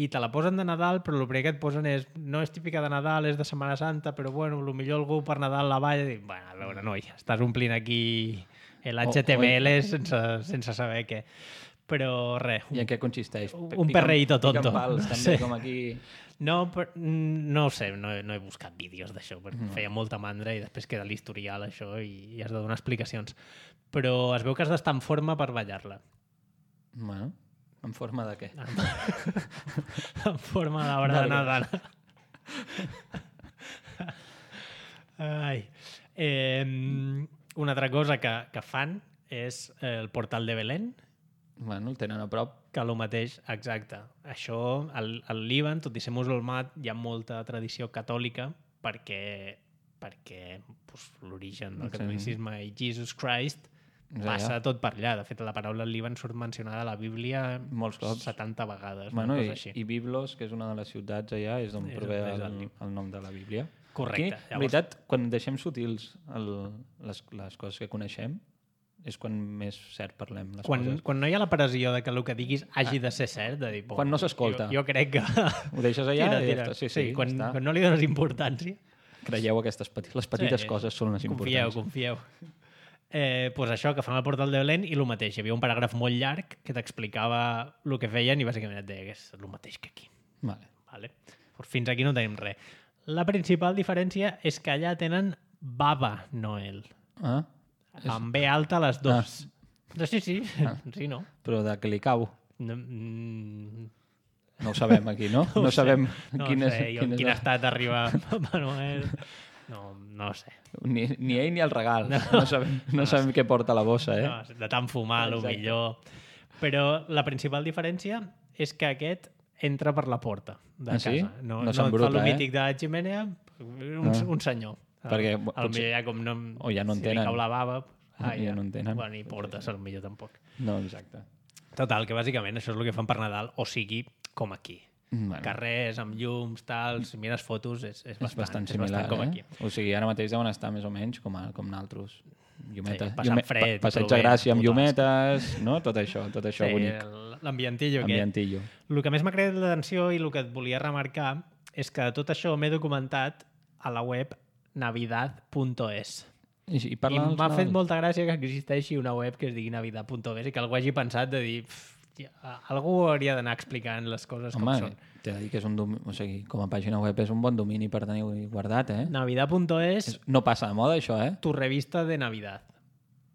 Speaker 1: i te la posen de Nadal, però el primer que et posen és no és típica de Nadal, és de Setmana Santa, però bueno, potser algú per Nadal la balla i dic, bueno, a veure, noi, estàs omplint aquí l'H T M L sense, sense saber què. Però res,
Speaker 2: I en què consisteix?
Speaker 1: Un
Speaker 2: Piquen-
Speaker 1: perreíto tonto.
Speaker 2: Piquen pals,
Speaker 1: No
Speaker 2: també,
Speaker 1: sé.
Speaker 2: com aquí...
Speaker 1: no, però, no ho sé, no, he- no he buscat vídeos d'això, perquè mm. feia molta mandra i després queda l'historial això i, i has de donar explicacions. Però es veu que has d'estar en forma per ballar-la.
Speaker 2: Bueno, en forma de què?
Speaker 1: En forma d'obra de Nadal. Ai. Eh, una altra cosa que, que fan és el portal de Belén,
Speaker 2: Bueno, el tenen a prop.
Speaker 1: que el mateix, exacte. Això, al, al Líban, tot i ser musulmà, hi ha molta tradició catòlica perquè, perquè pues, l'origen del
Speaker 2: Sí.
Speaker 1: catolicisme i Jesus Christ
Speaker 2: És
Speaker 1: passa
Speaker 2: allà.
Speaker 1: tot per allà. De fet, la paraula Líban surt mencionada a la Bíblia
Speaker 2: Molts cops.
Speaker 1: setanta vegades.
Speaker 2: Bueno,
Speaker 1: una
Speaker 2: i,
Speaker 1: cosa així.
Speaker 2: i Biblos, que és una de les ciutats allà, és d'on
Speaker 1: És-
Speaker 2: prové
Speaker 1: és
Speaker 2: el,
Speaker 1: el-
Speaker 2: el nom de la Bíblia.
Speaker 1: Correcte.
Speaker 2: Aquí, en veritat, quan deixem sutils el, les, les coses que coneixem, és quan més cert parlem les
Speaker 1: Quan,
Speaker 2: coses.
Speaker 1: quan no hi ha la pressió de que el que diguis hagi de ser cert, de dir...
Speaker 2: Quan no s'escolta.
Speaker 1: Jo, jo crec que...
Speaker 2: Ho deixes allà
Speaker 1: Tira,
Speaker 2: i ja
Speaker 1: tira.
Speaker 2: està. Sí, sí,
Speaker 1: sí quan,
Speaker 2: està.
Speaker 1: quan no li dones importància.
Speaker 2: Creieu aquestes petites, les petites
Speaker 1: Sí,
Speaker 2: coses són les
Speaker 1: Confieu,
Speaker 2: importants.
Speaker 1: confieu. Eh, pues això, que fan el portal de Belén i el mateix. Hi havia un paràgraf molt llarg que t'explicava el que feien i bàsicament et deia que és el mateix que aquí.
Speaker 2: Vale.
Speaker 1: Vale? Pues fins aquí no tenim res. La principal diferència és que allà tenen Baba Noel.
Speaker 2: Ah,
Speaker 1: Amb B alta a les dos. Ah. Sí, sí. Ah. Sí, no.
Speaker 2: però de què li cau?
Speaker 1: No, mm,
Speaker 2: No ho sabem aquí, no?
Speaker 1: no,
Speaker 2: No,
Speaker 1: ho sé.
Speaker 2: sabem
Speaker 1: no
Speaker 2: quin és...
Speaker 1: sé, jo en
Speaker 2: quin és
Speaker 1: quin
Speaker 2: el-
Speaker 1: estat arriba Papa Noel. No, no ho sé.
Speaker 2: Ni, ni ell ni el regal. No,
Speaker 1: No.
Speaker 2: no sabem, no sabem què porta a la bossa, eh?
Speaker 1: No, de tant fumar, el
Speaker 2: Exacte.
Speaker 1: millor. Però la principal diferència és que aquest entra per la porta de
Speaker 2: Ah, sí?
Speaker 1: casa. No,
Speaker 2: No
Speaker 1: no,
Speaker 2: s'embruta,
Speaker 1: fa el
Speaker 2: eh?
Speaker 1: mític de la ximènia, un,
Speaker 2: Ah.
Speaker 1: un senyor.
Speaker 2: Perquè
Speaker 1: a
Speaker 2: potser-
Speaker 1: potser ja com no...
Speaker 2: o ja no en
Speaker 1: si
Speaker 2: tenen.
Speaker 1: li cau la bava... Ah,
Speaker 2: Ja no en tenen.
Speaker 1: Bueno, ni portes, el millor tampoc.
Speaker 2: No, exacte.
Speaker 1: Total, que bàsicament això és el que fan per Nadal, o sigui, com aquí.
Speaker 2: Bueno,
Speaker 1: Carrers, amb llums, tal, si mires fotos, és, és,
Speaker 2: és
Speaker 1: bastant,
Speaker 2: bastant
Speaker 1: és
Speaker 2: similar,
Speaker 1: bastant com aquí.
Speaker 2: eh? O sigui, ara mateix deuen estar més o menys com, a, com naltros. Llumeta,
Speaker 1: Sí, passant fred,
Speaker 2: pa, passeig de
Speaker 1: plovent,
Speaker 2: Gràcia amb
Speaker 1: puta
Speaker 2: llumetes, no? Tot això, tot això
Speaker 1: Sí,
Speaker 2: bonic.
Speaker 1: el- l'ambientillo aquest.
Speaker 2: Ambientillo.
Speaker 1: El que més m'ha creat l'atenció i el que et volia remarcar és que de tot això m'he documentat a la web navidad punto es.
Speaker 2: I, i
Speaker 1: I
Speaker 2: parla dels
Speaker 1: m'ha fet
Speaker 2: Nadal?
Speaker 1: molta gràcia que existeixi una web que es digui navidad punto es i que algú hagi pensat de dir "Pff, ja, algú hauria d'anar explicant les coses
Speaker 2: Home,
Speaker 1: com són.
Speaker 2: t'he de dir que és un domi... o sigui, com a pàgina web és un bon domini per tenir guardat, eh?
Speaker 1: navidad punto es,
Speaker 2: És... No passa de moda, això, eh?
Speaker 1: tu revista de Navidad.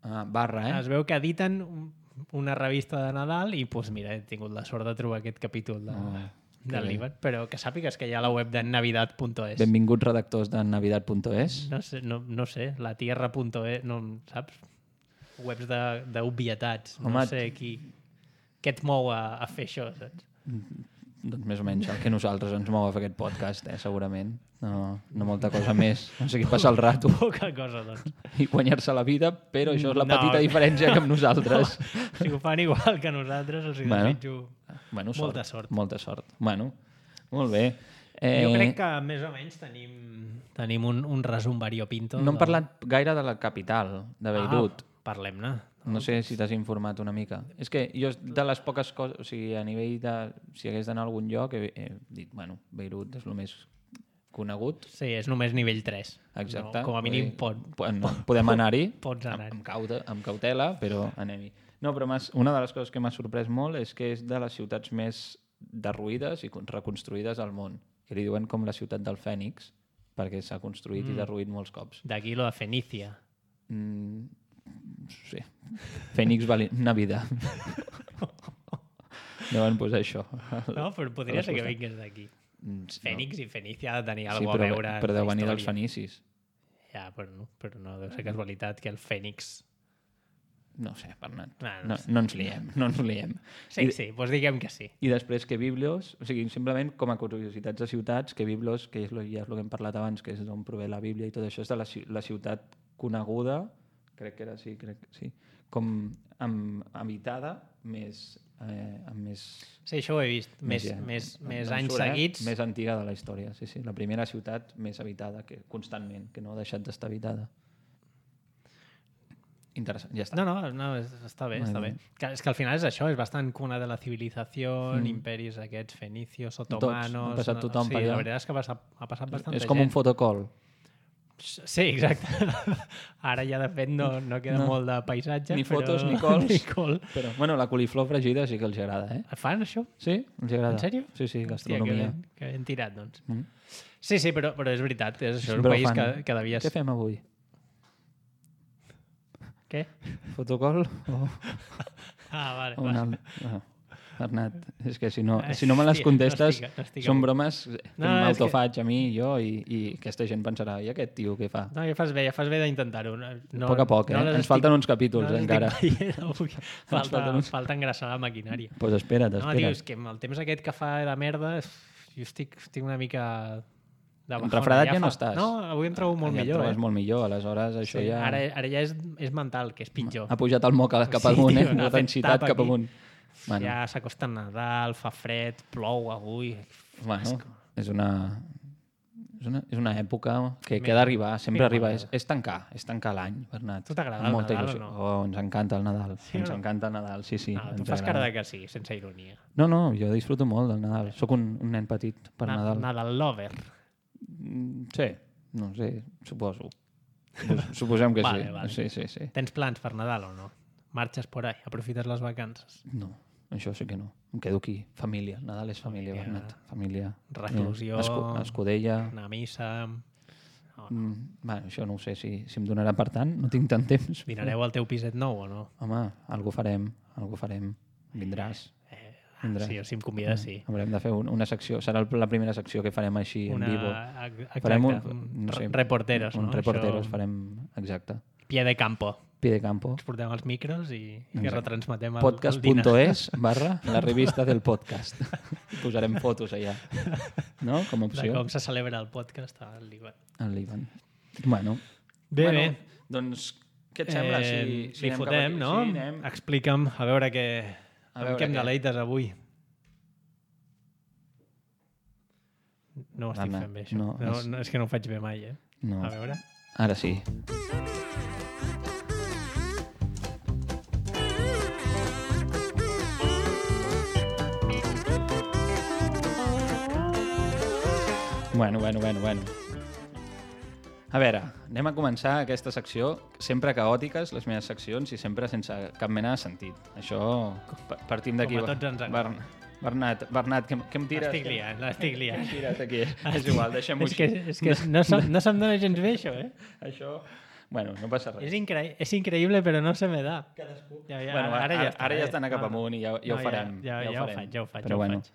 Speaker 2: Ah, barra, eh?
Speaker 1: Es veu que editen un- una revista de Nadal i, doncs mira, he tingut la sort de trobar aquest capítol de,
Speaker 2: Oh, que
Speaker 1: del
Speaker 2: bé.
Speaker 1: Líban. Però que sàpigues que hi ha la web de navidad punto es.
Speaker 2: Benvinguts redactors de navidad punto es.
Speaker 1: No sé, no, no sé, la tierra punto es, no, saps? Webs de- d'obvietats. No
Speaker 2: Home,
Speaker 1: sé qui... Què et mou a, a fer això, saps?
Speaker 2: Doncs més o menys el que nosaltres ens mou a fer aquest podcast, eh? Segurament. No, no molta cosa més. No sé qui passa el rato
Speaker 1: Poca cosa, doncs.
Speaker 2: i guanyar-se la vida, però això és la
Speaker 1: No.
Speaker 2: petita diferència que amb nosaltres.
Speaker 1: Si ho fan igual que nosaltres, els hi
Speaker 2: Bueno.
Speaker 1: desitjo...
Speaker 2: Bueno,
Speaker 1: Molta sort.
Speaker 2: Molta sort. Bueno, molt bé. Eh,
Speaker 1: Jo crec que més o menys tenim, tenim un, un resum variopinto.
Speaker 2: No hem
Speaker 1: del-
Speaker 2: parlat gaire de la capital, de Beirut.
Speaker 1: Ah, parlem-ne.
Speaker 2: No sé si t'has informat una mica. És que jo de les poques coses, o sigui, a nivell de... Si hagués d'anar a algun lloc, he, he dit, bueno, Beirut és el més conegut.
Speaker 1: Sí, és només nivell tres.
Speaker 2: Exacte.
Speaker 1: No, com a mínim pot,
Speaker 2: pot, no, podem anar-hi
Speaker 1: pots
Speaker 2: amb,
Speaker 1: anar-hi.
Speaker 2: amb, cauta, amb cautela, però anem-hi. No, però m'has- una de les coses que m'ha sorprès molt és que és de les ciutats més derruïdes i con- reconstruïdes al món. Que li diuen com la ciutat del Fènix, perquè s'ha construït mm. i derruït molts cops.
Speaker 1: D'aquí lo de Fenícia.
Speaker 2: Mm, sí. Fènix vali... Navidad. Deuen posar això.
Speaker 1: No, però podria
Speaker 2: A
Speaker 1: ser que
Speaker 2: les
Speaker 1: vingués d'aquí.
Speaker 2: Mm, sí,
Speaker 1: Fènix i Fenícia ha de tenir
Speaker 2: no. Sí,
Speaker 1: alguna
Speaker 2: però,
Speaker 1: a veure
Speaker 2: però
Speaker 1: en
Speaker 2: deu
Speaker 1: la
Speaker 2: venir dels
Speaker 1: història.
Speaker 2: fenicis.
Speaker 1: Ja, però no, però no deu ser casualitat que el Fènix...
Speaker 2: No ho sé, Bernat.
Speaker 1: Ah, no
Speaker 2: No,
Speaker 1: sé.
Speaker 2: no ens liem, no ens liem.
Speaker 1: Sí,
Speaker 2: I,
Speaker 1: sí, doncs diguem que sí.
Speaker 2: I després que Biblios, o sigui, simplement com a curiositats de ciutats, que Biblios, que és lo, ja és el que hem parlat abans, que és d'on prové la Bíblia i tot això, és de la, ci- la ciutat coneguda, crec que era així, crec que sí, com amb, habitada, més, eh, amb més...
Speaker 1: Sí, això ho he vist. Més,
Speaker 2: ja-
Speaker 1: més,
Speaker 2: no-
Speaker 1: més
Speaker 2: no em
Speaker 1: anys
Speaker 2: surt, eh?
Speaker 1: seguits.
Speaker 2: Més antiga de la història, sí, sí. La primera ciutat més habitada, que constantment, que no ha deixat d'estar habitada. Interessant, ja està.
Speaker 1: No, no, no és, està bé,
Speaker 2: Molt
Speaker 1: està bé.
Speaker 2: bé.
Speaker 1: Que, és que al final és això, és bastant cuna de la civilització,
Speaker 2: Mm.
Speaker 1: mm. imperis aquests, fenicios,
Speaker 2: Tots,
Speaker 1: otomanos...
Speaker 2: ha passat tothom
Speaker 1: sí,
Speaker 2: per allà.
Speaker 1: la veritat és que ha passat, ha passat bastanta
Speaker 2: És com
Speaker 1: gent.
Speaker 2: un fotocol.
Speaker 1: Sí, exacte. Ara ja, de fet, no, no queda
Speaker 2: No.
Speaker 1: molt de paisatge.
Speaker 2: Ni
Speaker 1: però...
Speaker 2: fotos ni cols.
Speaker 1: ni col.
Speaker 2: Però, bueno, la coliflor fregida sí que els agrada, eh?
Speaker 1: Fan això?
Speaker 2: Sí? Els agrada.
Speaker 1: En sèrio?
Speaker 2: Sí, sí,
Speaker 1: Hòstia, que
Speaker 2: gastronomia.
Speaker 1: ben, que ben tirat, doncs.
Speaker 2: Mm.
Speaker 1: Sí, sí, però, però és veritat. És, això és un
Speaker 2: Però
Speaker 1: país
Speaker 2: fan.
Speaker 1: que, que devia...
Speaker 2: Què fem avui?
Speaker 1: Què?
Speaker 2: Fotocol o,
Speaker 1: Ah, vale.
Speaker 2: o un
Speaker 1: vale.
Speaker 2: alt... Ah, Bernat, és que si no,
Speaker 1: Ai,
Speaker 2: si no me les
Speaker 1: hòstia,
Speaker 2: contestes,
Speaker 1: no estic- no estic
Speaker 2: són
Speaker 1: avui.
Speaker 2: bromes que
Speaker 1: No, no, és
Speaker 2: m'autofaig a mi, jo, i, i aquesta gent pensarà, i aquest tio què fa?
Speaker 1: No, ja fas bé, ja fas bé d'intentar-ho. No,
Speaker 2: A poc a poc, eh?
Speaker 1: les
Speaker 2: Ens falten uns capítols,
Speaker 1: les
Speaker 2: encara.
Speaker 1: estic veient avui. Falta,
Speaker 2: falten uns-
Speaker 1: falta engraçar la maquinària.
Speaker 2: Doncs pues espera't,
Speaker 1: No, tio,
Speaker 2: espera't.
Speaker 1: és que amb el temps aquest que fa de merda, jo estic, estic una mica... de bajona.
Speaker 2: Refredat ja no
Speaker 1: fa-
Speaker 2: estàs.
Speaker 1: No, avui em trobo molt
Speaker 2: ja et
Speaker 1: millor.
Speaker 2: trobes
Speaker 1: Eh?
Speaker 2: molt millor, aleshores això
Speaker 1: Sí,
Speaker 2: ja...
Speaker 1: ara, ara ja és, és mental, que és pitjor.
Speaker 2: Ha pujat el moc cap
Speaker 1: Sí,
Speaker 2: amunt,
Speaker 1: tio,
Speaker 2: eh?
Speaker 1: n'ha
Speaker 2: La
Speaker 1: fet
Speaker 2: densitat
Speaker 1: tap
Speaker 2: cap
Speaker 1: aquí.
Speaker 2: amunt. Bueno,
Speaker 1: Ja s'acosta Nadal, fa fred, plou avui...
Speaker 2: bueno, és una... És una, és una època que, que
Speaker 1: Mira,
Speaker 2: ha d'arribar, sempre
Speaker 1: mira,
Speaker 2: arriba.
Speaker 1: mare.
Speaker 2: És, és tancar, és tancar l'any, Bernat.
Speaker 1: Tu t'agrada
Speaker 2: Amb
Speaker 1: el
Speaker 2: molta
Speaker 1: Nadal
Speaker 2: il·lusió.
Speaker 1: o no?
Speaker 2: Oh, ens encanta el Nadal.
Speaker 1: Sí
Speaker 2: ens
Speaker 1: o no?
Speaker 2: encanta el Nadal, sí, sí.
Speaker 1: No, tu
Speaker 2: ens
Speaker 1: fas cara
Speaker 2: agrada.
Speaker 1: de que sí, sense ironia.
Speaker 2: No, no, jo disfruto molt del Nadal. Sóc un, un nen petit per
Speaker 1: Na
Speaker 2: Nadal.
Speaker 1: Nadal lover.
Speaker 2: Mm, Sí, no sé, suposo. Supos- Suposem que
Speaker 1: Vale,
Speaker 2: sí.
Speaker 1: vale.
Speaker 2: Sí, sí, sí.
Speaker 1: Tens plans per Nadal o no? Marxes por ahí, aprofites les vacances.
Speaker 2: No, això sí que no. Em quedo aquí. Família. Nadal és família,
Speaker 1: Família.
Speaker 2: Bernat. Família.
Speaker 1: Reclusió.
Speaker 2: Eh, Escu Escudella.
Speaker 1: Anar a missa... No, no.
Speaker 2: Mm, bueno, això no ho sé si, si em donarà per tant. No tinc tant temps.
Speaker 1: Dinareu al teu piset nou o no?
Speaker 2: Home, algú farem. Algú farem. Vindràs.
Speaker 1: Eh,
Speaker 2: Vindràs.
Speaker 1: sí, si em convides, sí.
Speaker 2: Haurem de fer un, una secció. Serà el- la primera secció que farem així
Speaker 1: Una,
Speaker 2: en vivo.
Speaker 1: exacte,
Speaker 2: Farem un,
Speaker 1: un,
Speaker 2: no sé,
Speaker 1: reporteros,
Speaker 2: un
Speaker 1: no?
Speaker 2: reporteros
Speaker 1: Això,
Speaker 2: farem, exacte.
Speaker 1: Pie de campo.
Speaker 2: Pie de campo.
Speaker 1: Ens portem els micros i, i que
Speaker 2: Exacte.
Speaker 1: retransmetem el,
Speaker 2: podcast
Speaker 1: el
Speaker 2: punto
Speaker 1: dinar.
Speaker 2: es barra la revista del podcast. Posarem fotos allà. No? Com a
Speaker 1: De
Speaker 2: opció.
Speaker 1: com se celebra el podcast al Líban.
Speaker 2: El Líban. Bueno.
Speaker 1: Bé,
Speaker 2: bueno,
Speaker 1: bé.
Speaker 2: Doncs, què et sembla? Si,
Speaker 1: Eh,
Speaker 2: si
Speaker 1: li
Speaker 2: anem cap
Speaker 1: fotem,
Speaker 2: aquí?
Speaker 1: no?
Speaker 2: Sí, anem.
Speaker 1: Explica'm, a veure què...
Speaker 2: A
Speaker 1: amb
Speaker 2: veure
Speaker 1: què em
Speaker 2: què.
Speaker 1: deleites avui. No ho estic
Speaker 2: Anna,
Speaker 1: fent bé, això.
Speaker 2: no,
Speaker 1: No,
Speaker 2: és-
Speaker 1: no, és que no ho faig bé mai, eh?
Speaker 2: No.
Speaker 1: A veure.
Speaker 2: Ara sí. Bueno, bueno, bueno, bueno. A veure, anem a començar aquesta secció, sempre caòtiques, les meves seccions, i sempre sense cap mena de sentit. Això, pa- partim d'aquí.
Speaker 1: Com a tots ens agrada.
Speaker 2: Bern- Bernat, Bernat, què, què em tires?
Speaker 1: L'estic liant, l'estic
Speaker 2: Què em
Speaker 1: liant.
Speaker 2: tires aquí? És igual, deixem-ho
Speaker 1: És que,
Speaker 2: així.
Speaker 1: és que no, se'm, no se'm dona gens bé, això, eh?
Speaker 2: Això... Bueno, no passa res.
Speaker 1: És, incre és increïble, però no se me da.
Speaker 2: Cadascú.
Speaker 1: Ja, ja,
Speaker 2: Bueno,
Speaker 1: ara, ja està.
Speaker 2: ara ja
Speaker 1: eh?
Speaker 2: està anant cap
Speaker 1: No,
Speaker 2: amunt i ja, ja
Speaker 1: no,
Speaker 2: ho farem.
Speaker 1: Ja, ja, ja, ho faig, ja ho faig,
Speaker 2: Però
Speaker 1: ja ho
Speaker 2: bueno.
Speaker 1: faig.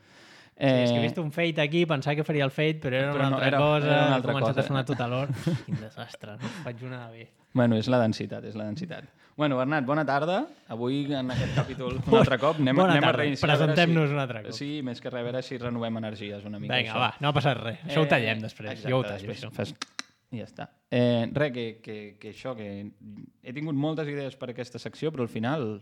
Speaker 1: Sí, és que he
Speaker 2: Eh,
Speaker 1: vist un fade aquí, pensava que faria el fade, però era
Speaker 2: Però
Speaker 1: una
Speaker 2: no,
Speaker 1: altra
Speaker 2: era-
Speaker 1: cosa,
Speaker 2: era una
Speaker 1: he
Speaker 2: altra
Speaker 1: començat
Speaker 2: cosa.
Speaker 1: a sonar tot a l'hora. Quin desastre, no faig una bé.
Speaker 2: Bueno, és la densitat, és la densitat. Bueno, Bernat, bona tarda. Avui, en aquest capítol, un altre cop, anem,
Speaker 1: Bona
Speaker 2: anem a
Speaker 1: tarda.
Speaker 2: reiniciar. a veure
Speaker 1: Presentem-nos
Speaker 2: si-
Speaker 1: un altre cop.
Speaker 2: Sí, més que res, a veure si renovem energies una mica.
Speaker 1: Vinga,
Speaker 2: això.
Speaker 1: va, no ha passat res. Això ho tallem després,
Speaker 2: exacte,
Speaker 1: jo ho tallo,
Speaker 2: després
Speaker 1: això.
Speaker 2: Fas... I ja està. Eh, res, que, que, que això, que he tingut moltes idees per aquesta secció, però al final...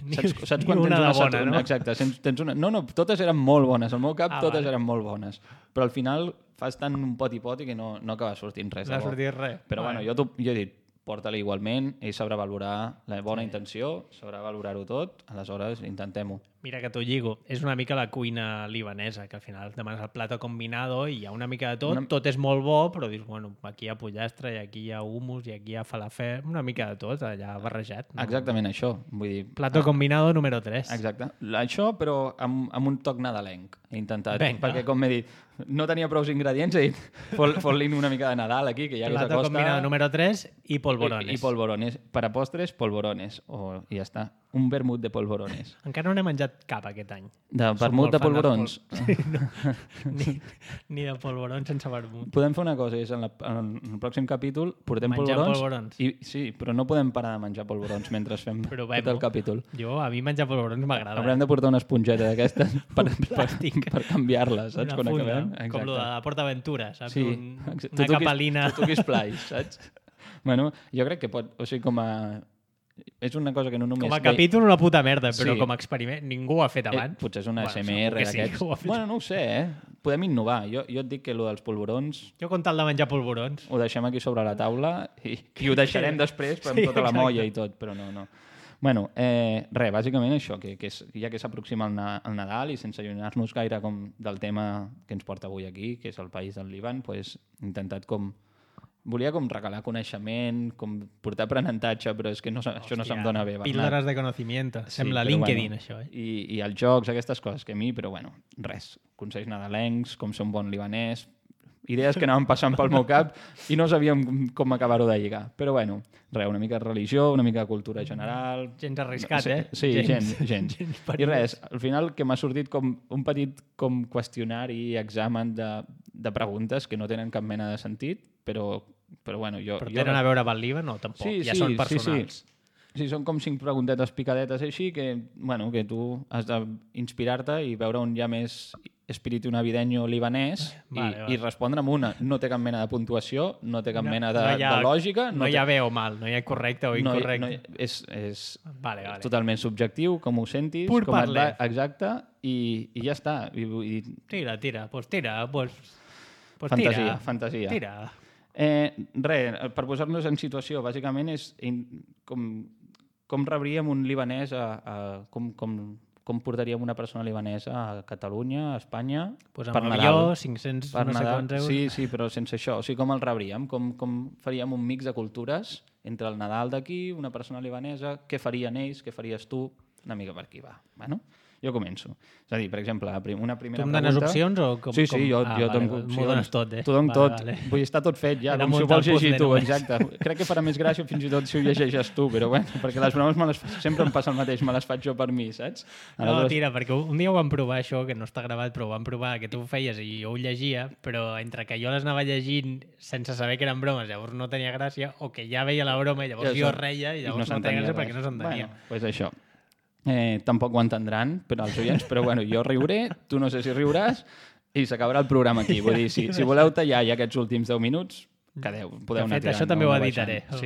Speaker 1: Ni-
Speaker 2: Saps, saps
Speaker 1: ni
Speaker 2: quan
Speaker 1: una
Speaker 2: tens
Speaker 1: de
Speaker 2: una
Speaker 1: bona,
Speaker 2: satur-
Speaker 1: no?
Speaker 2: Exacte, tens, tens una... No, no, totes eren molt bones. Al meu cap
Speaker 1: Ah,
Speaker 2: totes
Speaker 1: vale.
Speaker 2: eren molt bones. Però al final fas tant un pot i pot i que no, no acaba sortint res.
Speaker 1: No
Speaker 2: de
Speaker 1: ha
Speaker 2: bo.
Speaker 1: sortit res.
Speaker 2: Però bueno, jo, t'ho- jo he dit, porta-li igualment, ell sabrà valorar la bona sí. intenció, sabrà valorar-ho tot, aleshores intentem-ho.
Speaker 1: Mira que t'ho lligo. És una mica la cuina libanesa, que al final demanes el plato combinado i hi ha una mica de tot.
Speaker 2: Una-
Speaker 1: Tot és molt bo, però dius, bueno, aquí hi ha pollastre, i aquí hi ha hummus, i aquí hi ha falafel, una mica de tot, allà barrejat. No?
Speaker 2: Exactament això. Vull dir,
Speaker 1: Plato combinado número tres.
Speaker 2: exacte. Això, però amb, amb un toc nadalenc. He intentat,
Speaker 1: Vinga.
Speaker 2: perquè com m'he dit, no tenia prou ingredients, he dit, fot- fot-li una mica de Nadal aquí, que ja que
Speaker 1: Plato
Speaker 2: s'acosta...
Speaker 1: combinado número tres i polvorones.
Speaker 2: I, I polvorones. Per a postres, polvorones. O, I ja està. Un vermut de polvorones.
Speaker 1: Encara no n'he menjat cap aquest any.
Speaker 2: De
Speaker 1: Soc
Speaker 2: vermut
Speaker 1: molt
Speaker 2: de
Speaker 1: fan dels
Speaker 2: polvorons.
Speaker 1: pol- Sí, no. ni, ni de polvorons sense vermut.
Speaker 2: Podem fer una cosa, és en, la, en el pròxim capítol portem
Speaker 1: Menjar
Speaker 2: polvorons,
Speaker 1: polvorons.
Speaker 2: I, sí, però no podem parar de menjar polvorons mentre fem
Speaker 1: Provem-ho.
Speaker 2: tot el capítol.
Speaker 1: Jo, a mi menjar polvorons m'agrada.
Speaker 2: Haurem de portar una esponjeta d'aquestes per, per,
Speaker 1: plàstic.
Speaker 2: per canviar-les, saps?
Speaker 1: Una
Speaker 2: Quan
Speaker 1: funda,
Speaker 2: acabem.
Speaker 1: com lo de la Porta Aventura, saps?
Speaker 2: Sí,
Speaker 1: Un,
Speaker 2: exacte.
Speaker 1: una
Speaker 2: Tu toquis-
Speaker 1: capelina.
Speaker 2: Tu toquis plais, saps? Bueno, jo crec que pot... O sigui, com a... És una cosa que no només...
Speaker 1: Com a
Speaker 2: veig-
Speaker 1: capítol una puta merda, però
Speaker 2: Sí.
Speaker 1: com a experiment ningú ho ha fet
Speaker 2: Eh,
Speaker 1: abans.
Speaker 2: potser és una
Speaker 1: Bueno,
Speaker 2: S M
Speaker 1: segur
Speaker 2: R
Speaker 1: que sí,
Speaker 2: d'aquests.
Speaker 1: ho ha fet.
Speaker 2: Bueno, no ho sé, eh? Podem innovar. Jo, jo et dic que lo dels polvorons
Speaker 1: Jo con tal de menjar polvorons.
Speaker 2: ho deixem aquí sobre la taula i, i ho deixarem després amb
Speaker 1: Sí,
Speaker 2: tota la
Speaker 1: exacte.
Speaker 2: molla i tot, però no, no. Bueno, eh, res, bàsicament això, que, que és, ja que s'aproxima el, Na- el Nadal i sense allunyar-nos gaire com del tema que ens porta avui aquí, que és el país del Líban, pues, he intentat com... Volia com regalar coneixement, com portar aprenentatge, però és que no, se- això no se'm dona bé. Bernat.
Speaker 1: Píldoras de conocimiento.
Speaker 2: Sí,
Speaker 1: Sembla
Speaker 2: però
Speaker 1: LinkedIn,
Speaker 2: bueno,
Speaker 1: això, eh?
Speaker 2: I, I els jocs, aquestes coses que a mi, però bueno, res. Consells nadalencs, com ser un bon libanès, idees que anaven passant pel meu cap i no sabíem com- com acabar-ho de lligar. Però bueno, res, una mica de religió, una mica de cultura general...
Speaker 1: Gens arriscat,
Speaker 2: Sí,
Speaker 1: eh?
Speaker 2: sí, gens, gens.
Speaker 1: gens
Speaker 2: I res, al final que m'ha sortit com un petit com qüestionari, examen de, de preguntes que no tenen cap mena de sentit, però, però bueno, jo...
Speaker 1: Però
Speaker 2: jo
Speaker 1: tenen a veure amb el Líban o tampoc?
Speaker 2: Sí,
Speaker 1: ja
Speaker 2: sí,
Speaker 1: són
Speaker 2: sí,
Speaker 1: personals.
Speaker 2: sí. Sí, són com cinc preguntetes picadetes així que, bueno, que tu has d'inspirar-te i veure on hi ha més espíritu navideño libanès
Speaker 1: Vale,
Speaker 2: i,
Speaker 1: vale.
Speaker 2: i respondre amb una. No té cap mena de puntuació, no té cap
Speaker 1: No-
Speaker 2: mena de,
Speaker 1: no hi ha-
Speaker 2: de lògica.
Speaker 1: No,
Speaker 2: té,
Speaker 1: hi ha bé o mal, no hi ha correcte o
Speaker 2: no, hi-
Speaker 1: incorrecte.
Speaker 2: no, hi- és, és
Speaker 1: Vale, vale.
Speaker 2: totalment subjectiu, com ho sentis,
Speaker 1: Pur
Speaker 2: com et va,
Speaker 1: parler.
Speaker 2: exacte, i, i ja està. I, i,
Speaker 1: Tira, tira, pues tira, pues... Pues
Speaker 2: fantasia,
Speaker 1: tira,
Speaker 2: fantasia.
Speaker 1: Tira.
Speaker 2: Eh, res, per posar-nos en situació, bàsicament és in, com, com rebríem un libanès, a, a, com, com, com portaríem una persona libanesa a Catalunya, a Espanya,
Speaker 1: Pues
Speaker 2: per
Speaker 1: amb
Speaker 2: Nadal.
Speaker 1: avió, cinc-cents
Speaker 2: Per
Speaker 1: no sé
Speaker 2: Nadal.
Speaker 1: quants euros.
Speaker 2: Sí, sí, però sense això. O sigui, com el rebríem? Com, com faríem un mix de cultures entre el Nadal d'aquí, una persona libanesa, què farien ells, què faries tu? Una mica per aquí, va. Bueno, jo començo. És a dir, per exemple, una primera
Speaker 1: Tu em
Speaker 2: pregunta...
Speaker 1: dones opcions o com?
Speaker 2: Sí, sí,
Speaker 1: com...
Speaker 2: jo,
Speaker 1: ah,
Speaker 2: jo
Speaker 1: vale,
Speaker 2: dono
Speaker 1: M'ho
Speaker 2: opcions.
Speaker 1: dones tot, eh?
Speaker 2: T'ho dono
Speaker 1: Vale,
Speaker 2: tot.
Speaker 1: vale.
Speaker 2: Vull dir, està tot fet ja,
Speaker 1: Era
Speaker 2: com si ho
Speaker 1: muntar
Speaker 2: vols
Speaker 1: el
Speaker 2: llegir
Speaker 1: puzzle
Speaker 2: tu,
Speaker 1: només.
Speaker 2: exacte. Crec que farà més gràcia fins i tot si ho llegeixes tu, però bueno, perquè les bromes me les, sempre em passa el mateix, me les faig jo per mi, saps?
Speaker 1: No,
Speaker 2: Aleshores-
Speaker 1: tira, perquè un dia ho vam provar això, que no està gravat, però ho vam provar, que tu ho feies i jo ho llegia, però entre que jo les anava llegint sense saber que eren bromes, llavors no tenia gràcia, o que ja veia la broma i llavors
Speaker 2: Ja
Speaker 1: jo
Speaker 2: sap.
Speaker 1: reia i
Speaker 2: I
Speaker 1: llavors no,
Speaker 2: s'entenia
Speaker 1: tenia gràcia
Speaker 2: res.
Speaker 1: perquè no s'entenia.
Speaker 2: Bueno, pues això. Eh, tampoc ho entendran per als oients, però bueno, jo riuré, tu no sé si riuràs, i s'acabarà el programa aquí. Vull dir, si, si voleu tallar ja aquests últims deu minuts, quedeu, podeu
Speaker 1: De
Speaker 2: anar
Speaker 1: fet,
Speaker 2: tirant.
Speaker 1: això també
Speaker 2: no?
Speaker 1: ho
Speaker 2: Anar
Speaker 1: editaré.
Speaker 2: baixant.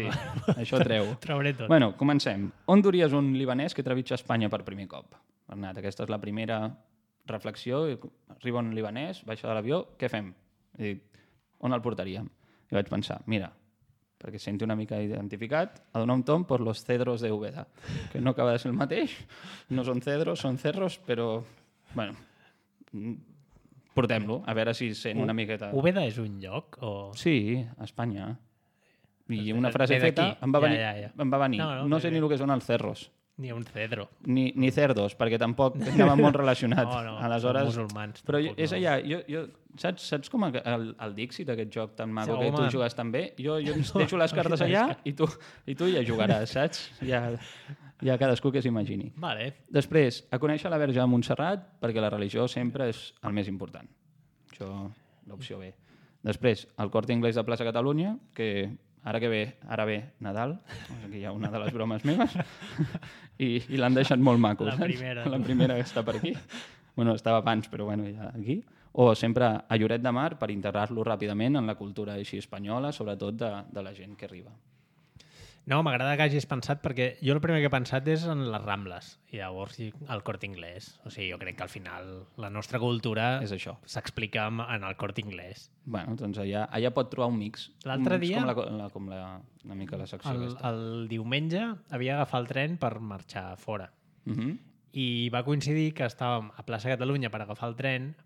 Speaker 2: Sí, això treu.
Speaker 1: Ho trauré tot.
Speaker 2: Bueno, comencem. On duries un libanès que trepitja Espanya per primer cop? Bernat, aquesta és la primera reflexió. Arriba un libanès, baixa de l'avió, què fem? He dit, on el portaríem? I vaig pensar, mira, perquè es senti una mica identificat, a donar un tom per los cedros de Úbeda, que no acaba de ser el mateix, no són cedros, són cerros, però, bueno, portem-lo, a veure si sent una miqueta...
Speaker 1: Úbeda és un lloc? O...
Speaker 2: Sí, a Espanya. I una
Speaker 1: Ve
Speaker 2: frase
Speaker 1: d'aquí.
Speaker 2: feta em va
Speaker 1: Ja,
Speaker 2: venir.
Speaker 1: ja, ja.
Speaker 2: Em va venir.
Speaker 1: No,
Speaker 2: No,
Speaker 1: no,
Speaker 2: no
Speaker 1: bé,
Speaker 2: sé
Speaker 1: bé.
Speaker 2: ni el que són els cerros,
Speaker 1: Ni un cedro.
Speaker 2: ni, ni cerdos, perquè tampoc anava molt relacionat.
Speaker 1: No, no,
Speaker 2: Aleshores,
Speaker 1: són musulmans.
Speaker 2: però
Speaker 1: tampoc,
Speaker 2: és
Speaker 1: no.
Speaker 2: allà, jo, jo, saps, saps com el, el Dixit, aquest joc tan maco
Speaker 1: Sí,
Speaker 2: que tu
Speaker 1: home.
Speaker 2: jugues tan bé? Jo, jo ens deixo les cartes allà i tu, i tu ja jugaràs, saps? Ja, ja cadascú que s'imagini.
Speaker 1: Vale.
Speaker 2: Després, a conèixer la Verge de Montserrat, perquè la religió sempre és el més important. Això, l'opció B. Després, el Corte Inglés de Plaça Catalunya, que ara que ve, ara ve Nadal, aquí hi ha una de les bromes meves, i, i l'han deixat molt maco.
Speaker 1: La
Speaker 2: saps?
Speaker 1: primera.
Speaker 2: La primera que està per aquí. Bueno, estava abans, però bueno, ja aquí. O sempre a Lloret de Mar per integrar-lo ràpidament en la cultura així espanyola, sobretot de, de la gent que arriba.
Speaker 1: No, m'agrada que hagis pensat, perquè jo el primer que he pensat és en les Rambles, i llavors i el Corte Inglés. O sigui, jo crec que al final la nostra cultura
Speaker 2: És això.
Speaker 1: s'explica en en el Corte Inglés.
Speaker 2: Bueno, doncs allà, allà pot trobar un mix.
Speaker 1: L'altre
Speaker 2: Un mix
Speaker 1: dia-
Speaker 2: Com, la, la, com la, una mica la secció
Speaker 1: El,
Speaker 2: aquesta.
Speaker 1: el diumenge havia d'agafar el tren per marxar fora.
Speaker 2: Uh -huh.
Speaker 1: I va coincidir que estàvem a Plaça Catalunya per agafar el tren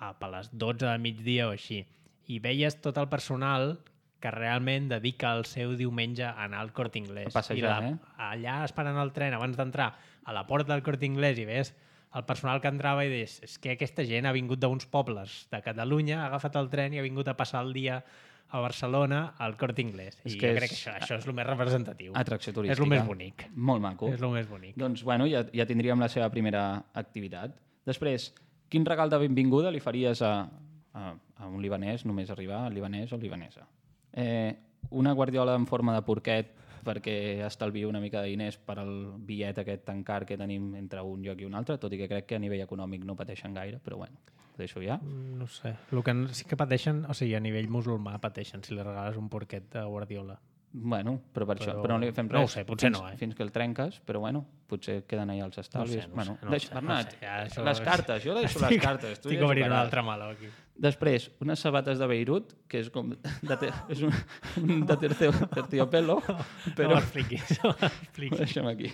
Speaker 1: a, a les dotze del migdia o així. I veies tot el personal que realment dedica el seu diumenge a anar al Corte Inglés.
Speaker 2: A passejar,
Speaker 1: I
Speaker 2: eh?
Speaker 1: allà esperant el tren, abans d'entrar a la porta del Corte Inglés, i ves el personal que entrava i deies, és que aquesta gent ha vingut d'uns pobles de Catalunya, ha agafat el tren i ha vingut a passar el dia a Barcelona al Corte Inglés.
Speaker 2: És
Speaker 1: I
Speaker 2: que
Speaker 1: jo
Speaker 2: és-
Speaker 1: crec que això, això és el més representatiu.
Speaker 2: Atracció turística.
Speaker 1: És el més bonic.
Speaker 2: Molt maco.
Speaker 1: És el més bonic.
Speaker 2: Doncs, bueno, ja, ja tindríem la seva primera activitat. Després, quin regal de benvinguda li faries a, a, a un libanès, només arribar, libanès o libanesa? Eh, una guardiola en forma de porquet perquè estalvio una mica de diners per al bitllet aquest tan car que tenim entre un lloc i un altre, tot i que crec que a nivell econòmic no pateixen gaire, però bueno, ho deixo ja.
Speaker 1: No sé. El que sí que pateixen, o sigui, a nivell musulmà pateixen si li regales un porquet de Guardiola.
Speaker 2: Bueno, però per això,
Speaker 1: Però-
Speaker 2: però no li fem res.
Speaker 1: no ho sé, potser
Speaker 2: fins,
Speaker 1: no, eh?
Speaker 2: Fins que el trenques, però bueno, potser queden allà els estalvis.
Speaker 1: No sé, no
Speaker 2: bueno,
Speaker 1: sé, no
Speaker 2: deixa,
Speaker 1: sé,
Speaker 2: Bernat,
Speaker 1: no sé, ja això
Speaker 2: les
Speaker 1: és-
Speaker 2: cartes, jo deixo les
Speaker 1: Estic-
Speaker 2: cartes. Tu
Speaker 1: Estic
Speaker 2: ja
Speaker 1: obrint un
Speaker 2: jugaràs.
Speaker 1: altre meló aquí.
Speaker 2: Després, unes sabates de Beirut, que és com de te, és un, un de tercio- terciopelo,
Speaker 1: Però...
Speaker 2: però
Speaker 1: No m'expliquis, no
Speaker 2: ho
Speaker 1: m'expliquis.
Speaker 2: deixem aquí.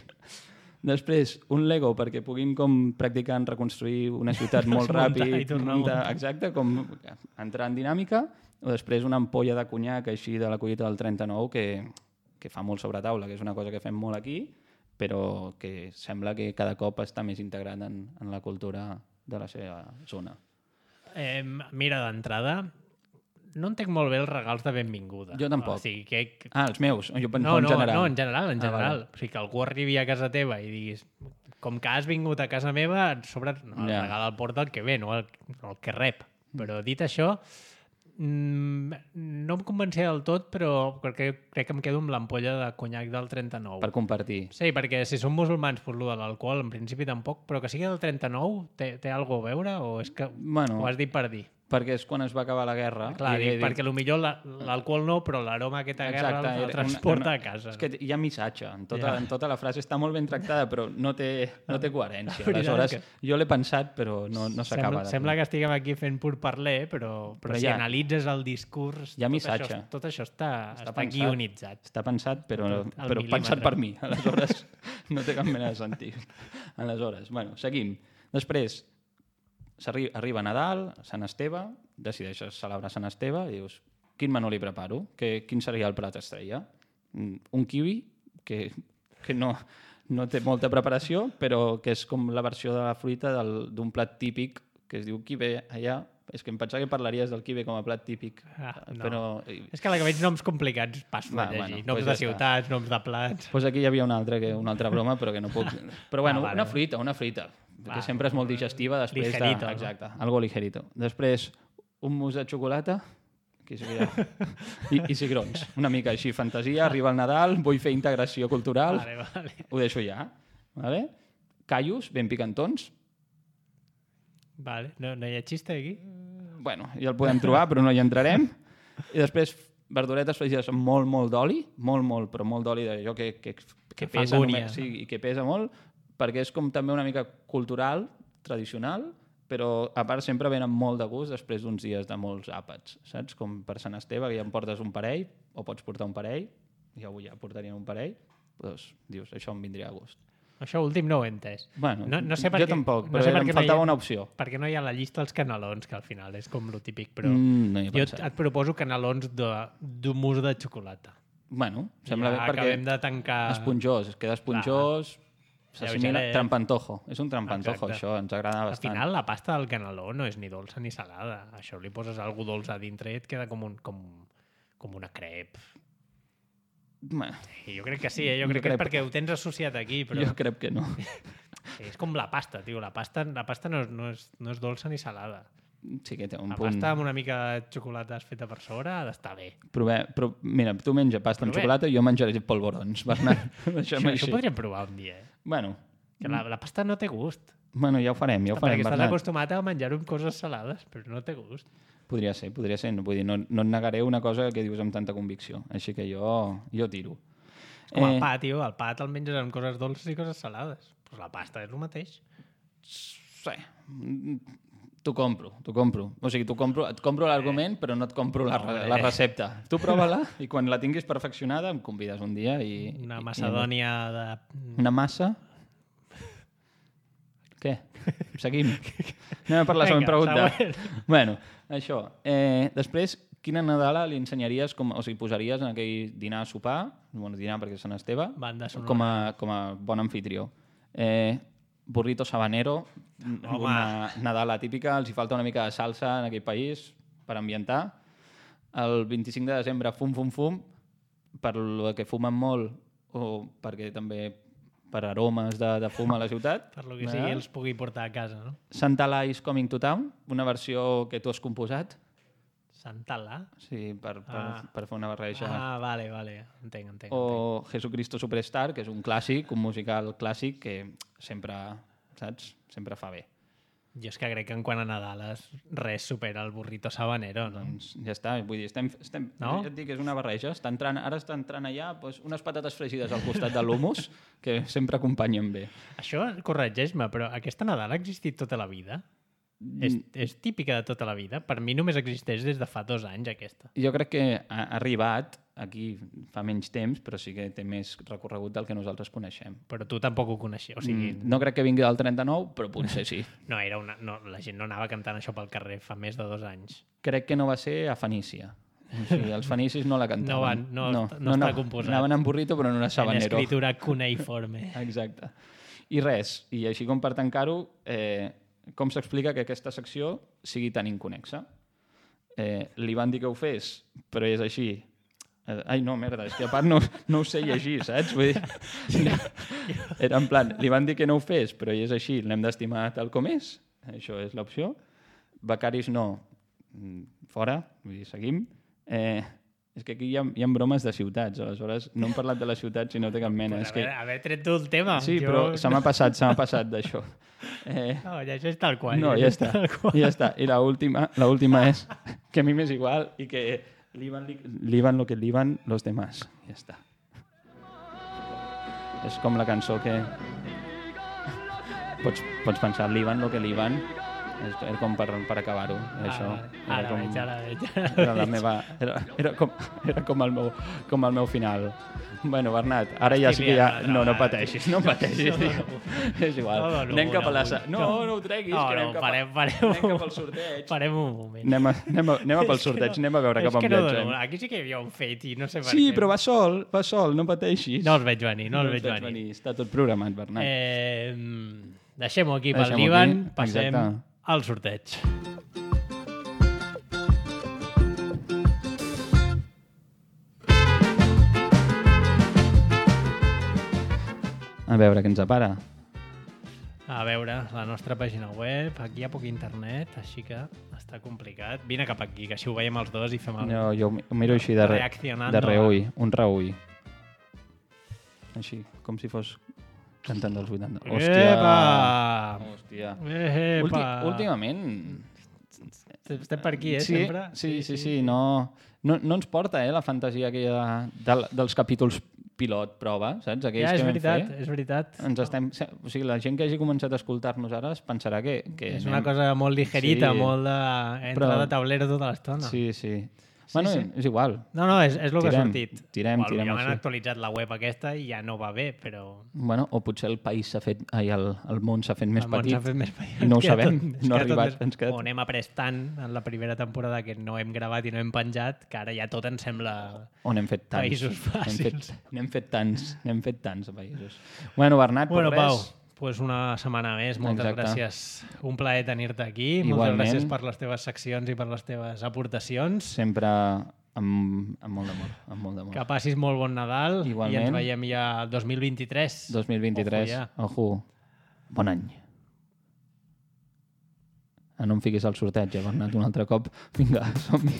Speaker 2: Després, un Lego perquè puguin com practicar en reconstruir una ciutat molt
Speaker 1: Desmuntar
Speaker 2: ràpid,
Speaker 1: i tornar a
Speaker 2: muntar-
Speaker 1: muntar.
Speaker 2: exacte, com entrar en dinàmica, o després una ampolla de conyac així de la collita del trenta-nou que, que fa molt sobre taula, que és una cosa que fem molt aquí, però que sembla que cada cop està més integrat en, en la cultura de la seva zona.
Speaker 1: Eh, mira, d'entrada, no entenc molt bé els regals de benvinguda.
Speaker 2: Jo tampoc.
Speaker 1: O sigui, que...
Speaker 2: Ah, els meus, jo pensava
Speaker 1: No,
Speaker 2: en
Speaker 1: no,
Speaker 2: general.
Speaker 1: no, en general, en
Speaker 2: Ah,
Speaker 1: general.
Speaker 2: vale.
Speaker 1: O sigui, que algú arribi a casa teva i diguis com que has vingut a casa meva, et sobre no, el
Speaker 2: Ja.
Speaker 1: regal el porta el que ve, no el, no el que rep. Però dit això, mm, no em convencia del tot, però perquè crec que em quedo amb l'ampolla de conyac del trenta-nou.
Speaker 2: Per compartir.
Speaker 1: Sí, perquè si són musulmans, doncs, lo de l'alcohol en principi tampoc, però que sigui del trenta-nou té, té alguna a veure o és que
Speaker 2: Bueno,
Speaker 1: ho has dit per dir?
Speaker 2: perquè és quan es va acabar la guerra.
Speaker 1: Clar,
Speaker 2: i,
Speaker 1: dic,
Speaker 2: i,
Speaker 1: perquè potser l'alcohol no, però l'aroma aquesta guerra
Speaker 2: Exacte,
Speaker 1: el, el
Speaker 2: era
Speaker 1: transporta
Speaker 2: una-
Speaker 1: a casa.
Speaker 2: És que hi ha missatge, en tota,
Speaker 1: Ja.
Speaker 2: en tota la frase està molt ben tractada, però no té, no té coherència.
Speaker 1: La veritat
Speaker 2: Aleshores,
Speaker 1: que-
Speaker 2: jo l'he pensat, però no, no
Speaker 1: Sembla,
Speaker 2: s'acaba. de
Speaker 1: sembla
Speaker 2: fer.
Speaker 1: que estiguem aquí fent pur parler, però, però,
Speaker 2: Però
Speaker 1: si
Speaker 2: hi ha-
Speaker 1: analitzes el discurs,
Speaker 2: hi ha
Speaker 1: tot,
Speaker 2: missatge.
Speaker 1: això, tot això està, està, està
Speaker 2: pensat.
Speaker 1: guionitzat.
Speaker 2: Està pensat, però,
Speaker 1: Tot al
Speaker 2: però pensat
Speaker 1: mil·límetre.
Speaker 2: per mi. Aleshores, no té cap mena de sentit. Aleshores, bueno, seguim. Després, s'arri- arriba Nadal, Sant Esteve, decideixes celebrar Sant Esteve i dius, quin menú li preparo? Que, quin seria el plat estrella? Mm, Un kiwi, que, que no, no té molta preparació, però que és com la versió de la fruita del- d'un plat típic que es diu kibe allà. És que em pensava que parlaries del kibe com a plat típic.
Speaker 1: Ah, no.
Speaker 2: Però
Speaker 1: És que a la que veig noms complicats passo
Speaker 2: Va,
Speaker 1: a llegir.
Speaker 2: bueno,
Speaker 1: noms
Speaker 2: pues
Speaker 1: de
Speaker 2: ja està.
Speaker 1: ciutats, noms de plats...
Speaker 2: pues aquí hi havia una altra, que, una altra broma, però que no puc... Però bueno,
Speaker 1: Ah, vale.
Speaker 2: una fruita, una fruita,
Speaker 1: Va.
Speaker 2: que sempre és molt digestiva després
Speaker 1: Ligerito,
Speaker 2: de...
Speaker 1: no?
Speaker 2: Exacte, algo ligerito. Després, un mus de xocolata, que seria... I, I cigrons, una mica així, fantasia, arriba el Nadal, vull fer integració cultural,
Speaker 1: Vale, vale.
Speaker 2: ho deixo ja. Vale? Callos, ben picantons,
Speaker 1: Vale. No, no hi ha xiste aquí?
Speaker 2: bueno, ja el podem trobar, però no hi entrarem. I després, verduretes fregides amb molt, molt d'oli, molt, molt, però molt d'oli d'allò que, que, que
Speaker 1: Que fa
Speaker 2: pesa
Speaker 1: angúnia,
Speaker 2: només, sí, i que pesa molt, perquè és com també una mica cultural, tradicional, però a part sempre venen molt de gust després d'uns dies de molts àpats, saps? Com per Sant Esteve, que ja em portes un parell, o pots portar un parell, jo avui ja portarien un parell, doncs dius, això em vindria a gust.
Speaker 1: Això últim no ho he entès.
Speaker 2: Bueno,
Speaker 1: no, no sé per
Speaker 2: jo
Speaker 1: què,
Speaker 2: tampoc,
Speaker 1: no
Speaker 2: però
Speaker 1: sé per
Speaker 2: em
Speaker 1: què no hi
Speaker 2: faltava
Speaker 1: ha-
Speaker 2: una opció.
Speaker 1: Perquè no hi ha la llista dels canelons, que al final és com lo típic, però
Speaker 2: Mm, no hi he
Speaker 1: jo
Speaker 2: pensat.
Speaker 1: et proposo canelons de- d'un mousse de xocolata.
Speaker 2: Bueno, sembla
Speaker 1: Ja
Speaker 2: bé perquè...
Speaker 1: acabem de tancar...
Speaker 2: Esponjós, es queda esponjós, s'assimila...
Speaker 1: Lleugeret.
Speaker 2: Trampantojo, és un trampantojo,
Speaker 1: Exacte.
Speaker 2: això, ens agrada
Speaker 1: Al
Speaker 2: bastant.
Speaker 1: final, la pasta del caneló no és ni dolça ni salada. Això li poses algú dolç a dintre i et queda com, un, com, com una crep.
Speaker 2: Bueno,
Speaker 1: I jo crec que sí, eh? jo
Speaker 2: Una
Speaker 1: crec que és
Speaker 2: crep.
Speaker 1: perquè ho tens associat aquí, però
Speaker 2: jo crec que no.
Speaker 1: és com la pasta, tio. La pasta, la pasta no, és, no, és, no és dolça ni salada.
Speaker 2: Sí que té un
Speaker 1: La
Speaker 2: punt...
Speaker 1: pasta amb una mica de xocolata feta per sobre ha d'estar bé.
Speaker 2: Prove... Però, mira, tu menja pasta amb
Speaker 1: Provem.
Speaker 2: xocolata i jo menjaré polvorons, Bernat. Deixa'm
Speaker 1: Això,
Speaker 2: així.
Speaker 1: això podríem provar un dia, eh?
Speaker 2: Bueno,
Speaker 1: Que la, la pasta no té gust.
Speaker 2: bueno, ja ho farem, ja ho farem,
Speaker 1: Perquè estàs
Speaker 2: Bernat.
Speaker 1: acostumat a menjar-ho amb coses salades, però no té gust.
Speaker 2: Podria ser, podria ser. No, vull dir, no, no et negaré una cosa que dius amb tanta convicció. Així que jo, jo tiro.
Speaker 1: Com el pa, tio. El pa te'l menges amb coses dolces i coses salades. Pues la pasta és el mateix.
Speaker 2: Sí, t'ho compro, t'ho compro. O sigui, t'ho compro, et compro l'argument, però no et compro la,
Speaker 1: Hombre.
Speaker 2: la recepta. Tu prova-la i quan la tinguis perfeccionada em convides un dia i...
Speaker 1: Una
Speaker 2: i-
Speaker 1: macedònia de...
Speaker 2: I, una massa? Què? Seguim. Anem a per la següent
Speaker 1: Vinga,
Speaker 2: pregunta.
Speaker 1: següent.
Speaker 2: Bueno, això. Eh, després, quina Nadala li ensenyaries, com, o sigui, posaries en aquell dinar a sopar, bueno, dinar perquè és Sant Esteve,
Speaker 1: Banda sonora.
Speaker 2: com a, com a bon anfitrió. Eh, burrito sabanero,
Speaker 1: Home.
Speaker 2: una Nadala típica, els hi falta una mica de salsa en aquell país per ambientar. El vint-i-cinc de desembre, fum, fum, fum, per lo que fumen molt o perquè també per aromes de, de fum a la ciutat.
Speaker 1: Per lo que sigui, els pugui portar a casa, no?
Speaker 2: Santa La is Coming to Town, una versió que tu has composat,
Speaker 1: Santa La.
Speaker 2: sí, per, per,
Speaker 1: Ah.
Speaker 2: per fer una barreja.
Speaker 1: Ah, vale, vale. Entenc, entenc. entenc.
Speaker 2: O Jesucristo Superstar, que és un clàssic, un musical clàssic que sempre, saps, sempre fa bé.
Speaker 1: Jo és que crec que en quant a Nadales res supera el burrito sabanero, no?
Speaker 2: Doncs ja està, vull dir, estem, estem,
Speaker 1: No?
Speaker 2: ja et dic, és una barreja. Està entrant, ara està entrant allà doncs, unes patates fregides al costat de l'humus que sempre acompanyen bé.
Speaker 1: Això, corregeix-me, però aquesta Nadal ha existit tota la vida? És, és típica de tota la vida? Per mi només existeix des de fa dos anys, aquesta.
Speaker 2: Jo crec que ha arribat aquí fa menys temps, però sí que té més recorregut del que nosaltres coneixem.
Speaker 1: Però tu tampoc ho coneixies, o sigui...
Speaker 2: Mm, no crec que vingui del trenta-nou, però potser sí.
Speaker 1: No, era una, no, la gent no anava cantant això pel carrer fa més de dos anys.
Speaker 2: Crec que no va ser a Fenícia. O sigui, els fenicis no la cantaven.
Speaker 1: No van, no, no està composat.
Speaker 2: Anaven en burrito, però no era
Speaker 1: En
Speaker 2: sabanero.
Speaker 1: escritura cuneiforme.
Speaker 2: Exacte. I res, i així com per tancar-ho, eh, com s'explica que aquesta secció sigui tan inconexa? Eh, li van dir que ho fes, però és així. Eh, ai, no, merda, és que a part no, no ho sé llegir, saps? Vull dir, era en plan, li van dir que no ho fes, però és així, l'hem d'estimar tal com és. Això és l'opció. Becaris no, mm, fora, vull dir, seguim. Eh, És que aquí hi ha, hi ha bromes de ciutats, aleshores no hem parlat de la ciutat si no té cap mena.
Speaker 1: Pues
Speaker 2: és que...
Speaker 1: haver, haver tret tu el tema.
Speaker 2: Sí,
Speaker 1: jo...
Speaker 2: però se m'ha passat, se m'ha passat d'això. Eh...
Speaker 1: No, ja això és tal qual.
Speaker 2: No, ja està. Ja està. I l'última l'última és que a mi m'és igual i que liban, liban lo que liban los demás. Ja està. És com la cançó que... Pots, pots pensar, liban lo que liban, és, era com per, per acabar-ho. Això.
Speaker 1: Ah, ara
Speaker 2: com,
Speaker 1: veig, ara veig.
Speaker 2: Era, la meva, era, era, com, era com, el meu, com el meu final. Bueno, Bernat, ara ja sí que ja... No, no pateixis, no pateixis. És igual.
Speaker 1: No, no,
Speaker 2: anem cap a la...
Speaker 1: no,
Speaker 2: No, no ho treguis,
Speaker 1: no,
Speaker 2: que anem
Speaker 1: no,
Speaker 2: cap,
Speaker 1: farem,
Speaker 2: a...
Speaker 1: farem,
Speaker 2: anem cap al sorteig.
Speaker 1: Farem un moment.
Speaker 2: Anem a, anem a, anem a pel sorteig, no, anem a veure cap on
Speaker 1: no,
Speaker 2: viatgem.
Speaker 1: No, aquí sí que hi havia un fet i no sé per
Speaker 2: Sí,
Speaker 1: què.
Speaker 2: però va sol, va sol, no pateixis.
Speaker 1: No els veig venir, no,
Speaker 2: no
Speaker 1: els veig venir.
Speaker 2: venir. Està tot programat, Bernat.
Speaker 1: Eh, Deixem-ho aquí pel
Speaker 2: Deixem-ho
Speaker 1: divan,
Speaker 2: aquí,
Speaker 1: passem
Speaker 2: exacte.
Speaker 1: al sorteig.
Speaker 2: A veure què ens apara.
Speaker 1: A veure, la nostra pàgina web, aquí hi ha poc internet, així que està complicat. Vine cap aquí, que així ho veiem els dos i fem el...
Speaker 2: No, jo ho miro així de, re,
Speaker 1: Reaccionando
Speaker 2: de reull, un reull. Així, com si fos cantant dels vuitanta. Hòstia!
Speaker 1: Epa!
Speaker 2: Hòstia!
Speaker 1: Epa!
Speaker 2: Ulti, últimament...
Speaker 1: Estem per aquí, eh,
Speaker 2: sí,
Speaker 1: sempre?
Speaker 2: Sí, sí, sí, sí, no, no, no ens porta eh, la fantasia aquella de, dels capítols pilot prova, saps? Aquells
Speaker 1: Ja, és
Speaker 2: que vam
Speaker 1: veritat,
Speaker 2: fer.
Speaker 1: és veritat.
Speaker 2: Ens estem... O sigui, la gent que hagi començat a escoltar-nos ara es pensarà que... que
Speaker 1: És
Speaker 2: anem...
Speaker 1: una cosa molt ligerita,
Speaker 2: Sí.
Speaker 1: molt de... Entra
Speaker 2: Però-
Speaker 1: de taulero tota l'estona.
Speaker 2: Sí, sí. Bueno,
Speaker 1: sí.
Speaker 2: és igual.
Speaker 1: No, no, és, és el que ha
Speaker 2: Tirem,
Speaker 1: sortit.
Speaker 2: tirem,
Speaker 1: o
Speaker 2: tirem
Speaker 1: han
Speaker 2: així.
Speaker 1: actualitzat la web aquesta i ja no va bé, però...
Speaker 2: Bueno, o potser el país s'ha fet... Ai, el, el món s'ha fet més
Speaker 1: el món
Speaker 2: petit.
Speaker 1: s'ha fet més petit.
Speaker 2: I no ho
Speaker 1: Ens queda
Speaker 2: sabem.
Speaker 1: tot- ens
Speaker 2: No ha
Speaker 1: queda tot
Speaker 2: arribat.
Speaker 1: més-
Speaker 2: Ens queda...
Speaker 1: O n'hem après tant en la primera temporada que no hem gravat i no hem penjat, que ara ja tot ens sembla...
Speaker 2: O n'hem fet tants.
Speaker 1: Països
Speaker 2: N'hem
Speaker 1: fàcils.
Speaker 2: fet, n'hem fet tants. N'hem fet tants a països. Bueno, Bernat,
Speaker 1: Bueno,
Speaker 2: per
Speaker 1: Pau,
Speaker 2: res...
Speaker 1: pues una setmana més. Moltes
Speaker 2: Exacte.
Speaker 1: gràcies. Un plaer tenir-te aquí. Moltes
Speaker 2: Igualment.
Speaker 1: gràcies per les teves seccions i per les teves aportacions.
Speaker 2: Sempre amb, amb molt d'amor. Amb molt d'amor.
Speaker 1: Que passis molt bon Nadal
Speaker 2: Igualment.
Speaker 1: i ens veiem ja el dos mil vint-i-tres.
Speaker 2: dos mil vint-i-tres.
Speaker 1: Ojo, ja.
Speaker 2: Ojo. Bon any. Ah, no em fiquis al sorteig, ja, Bernat, un altre cop. Vinga, som-hi.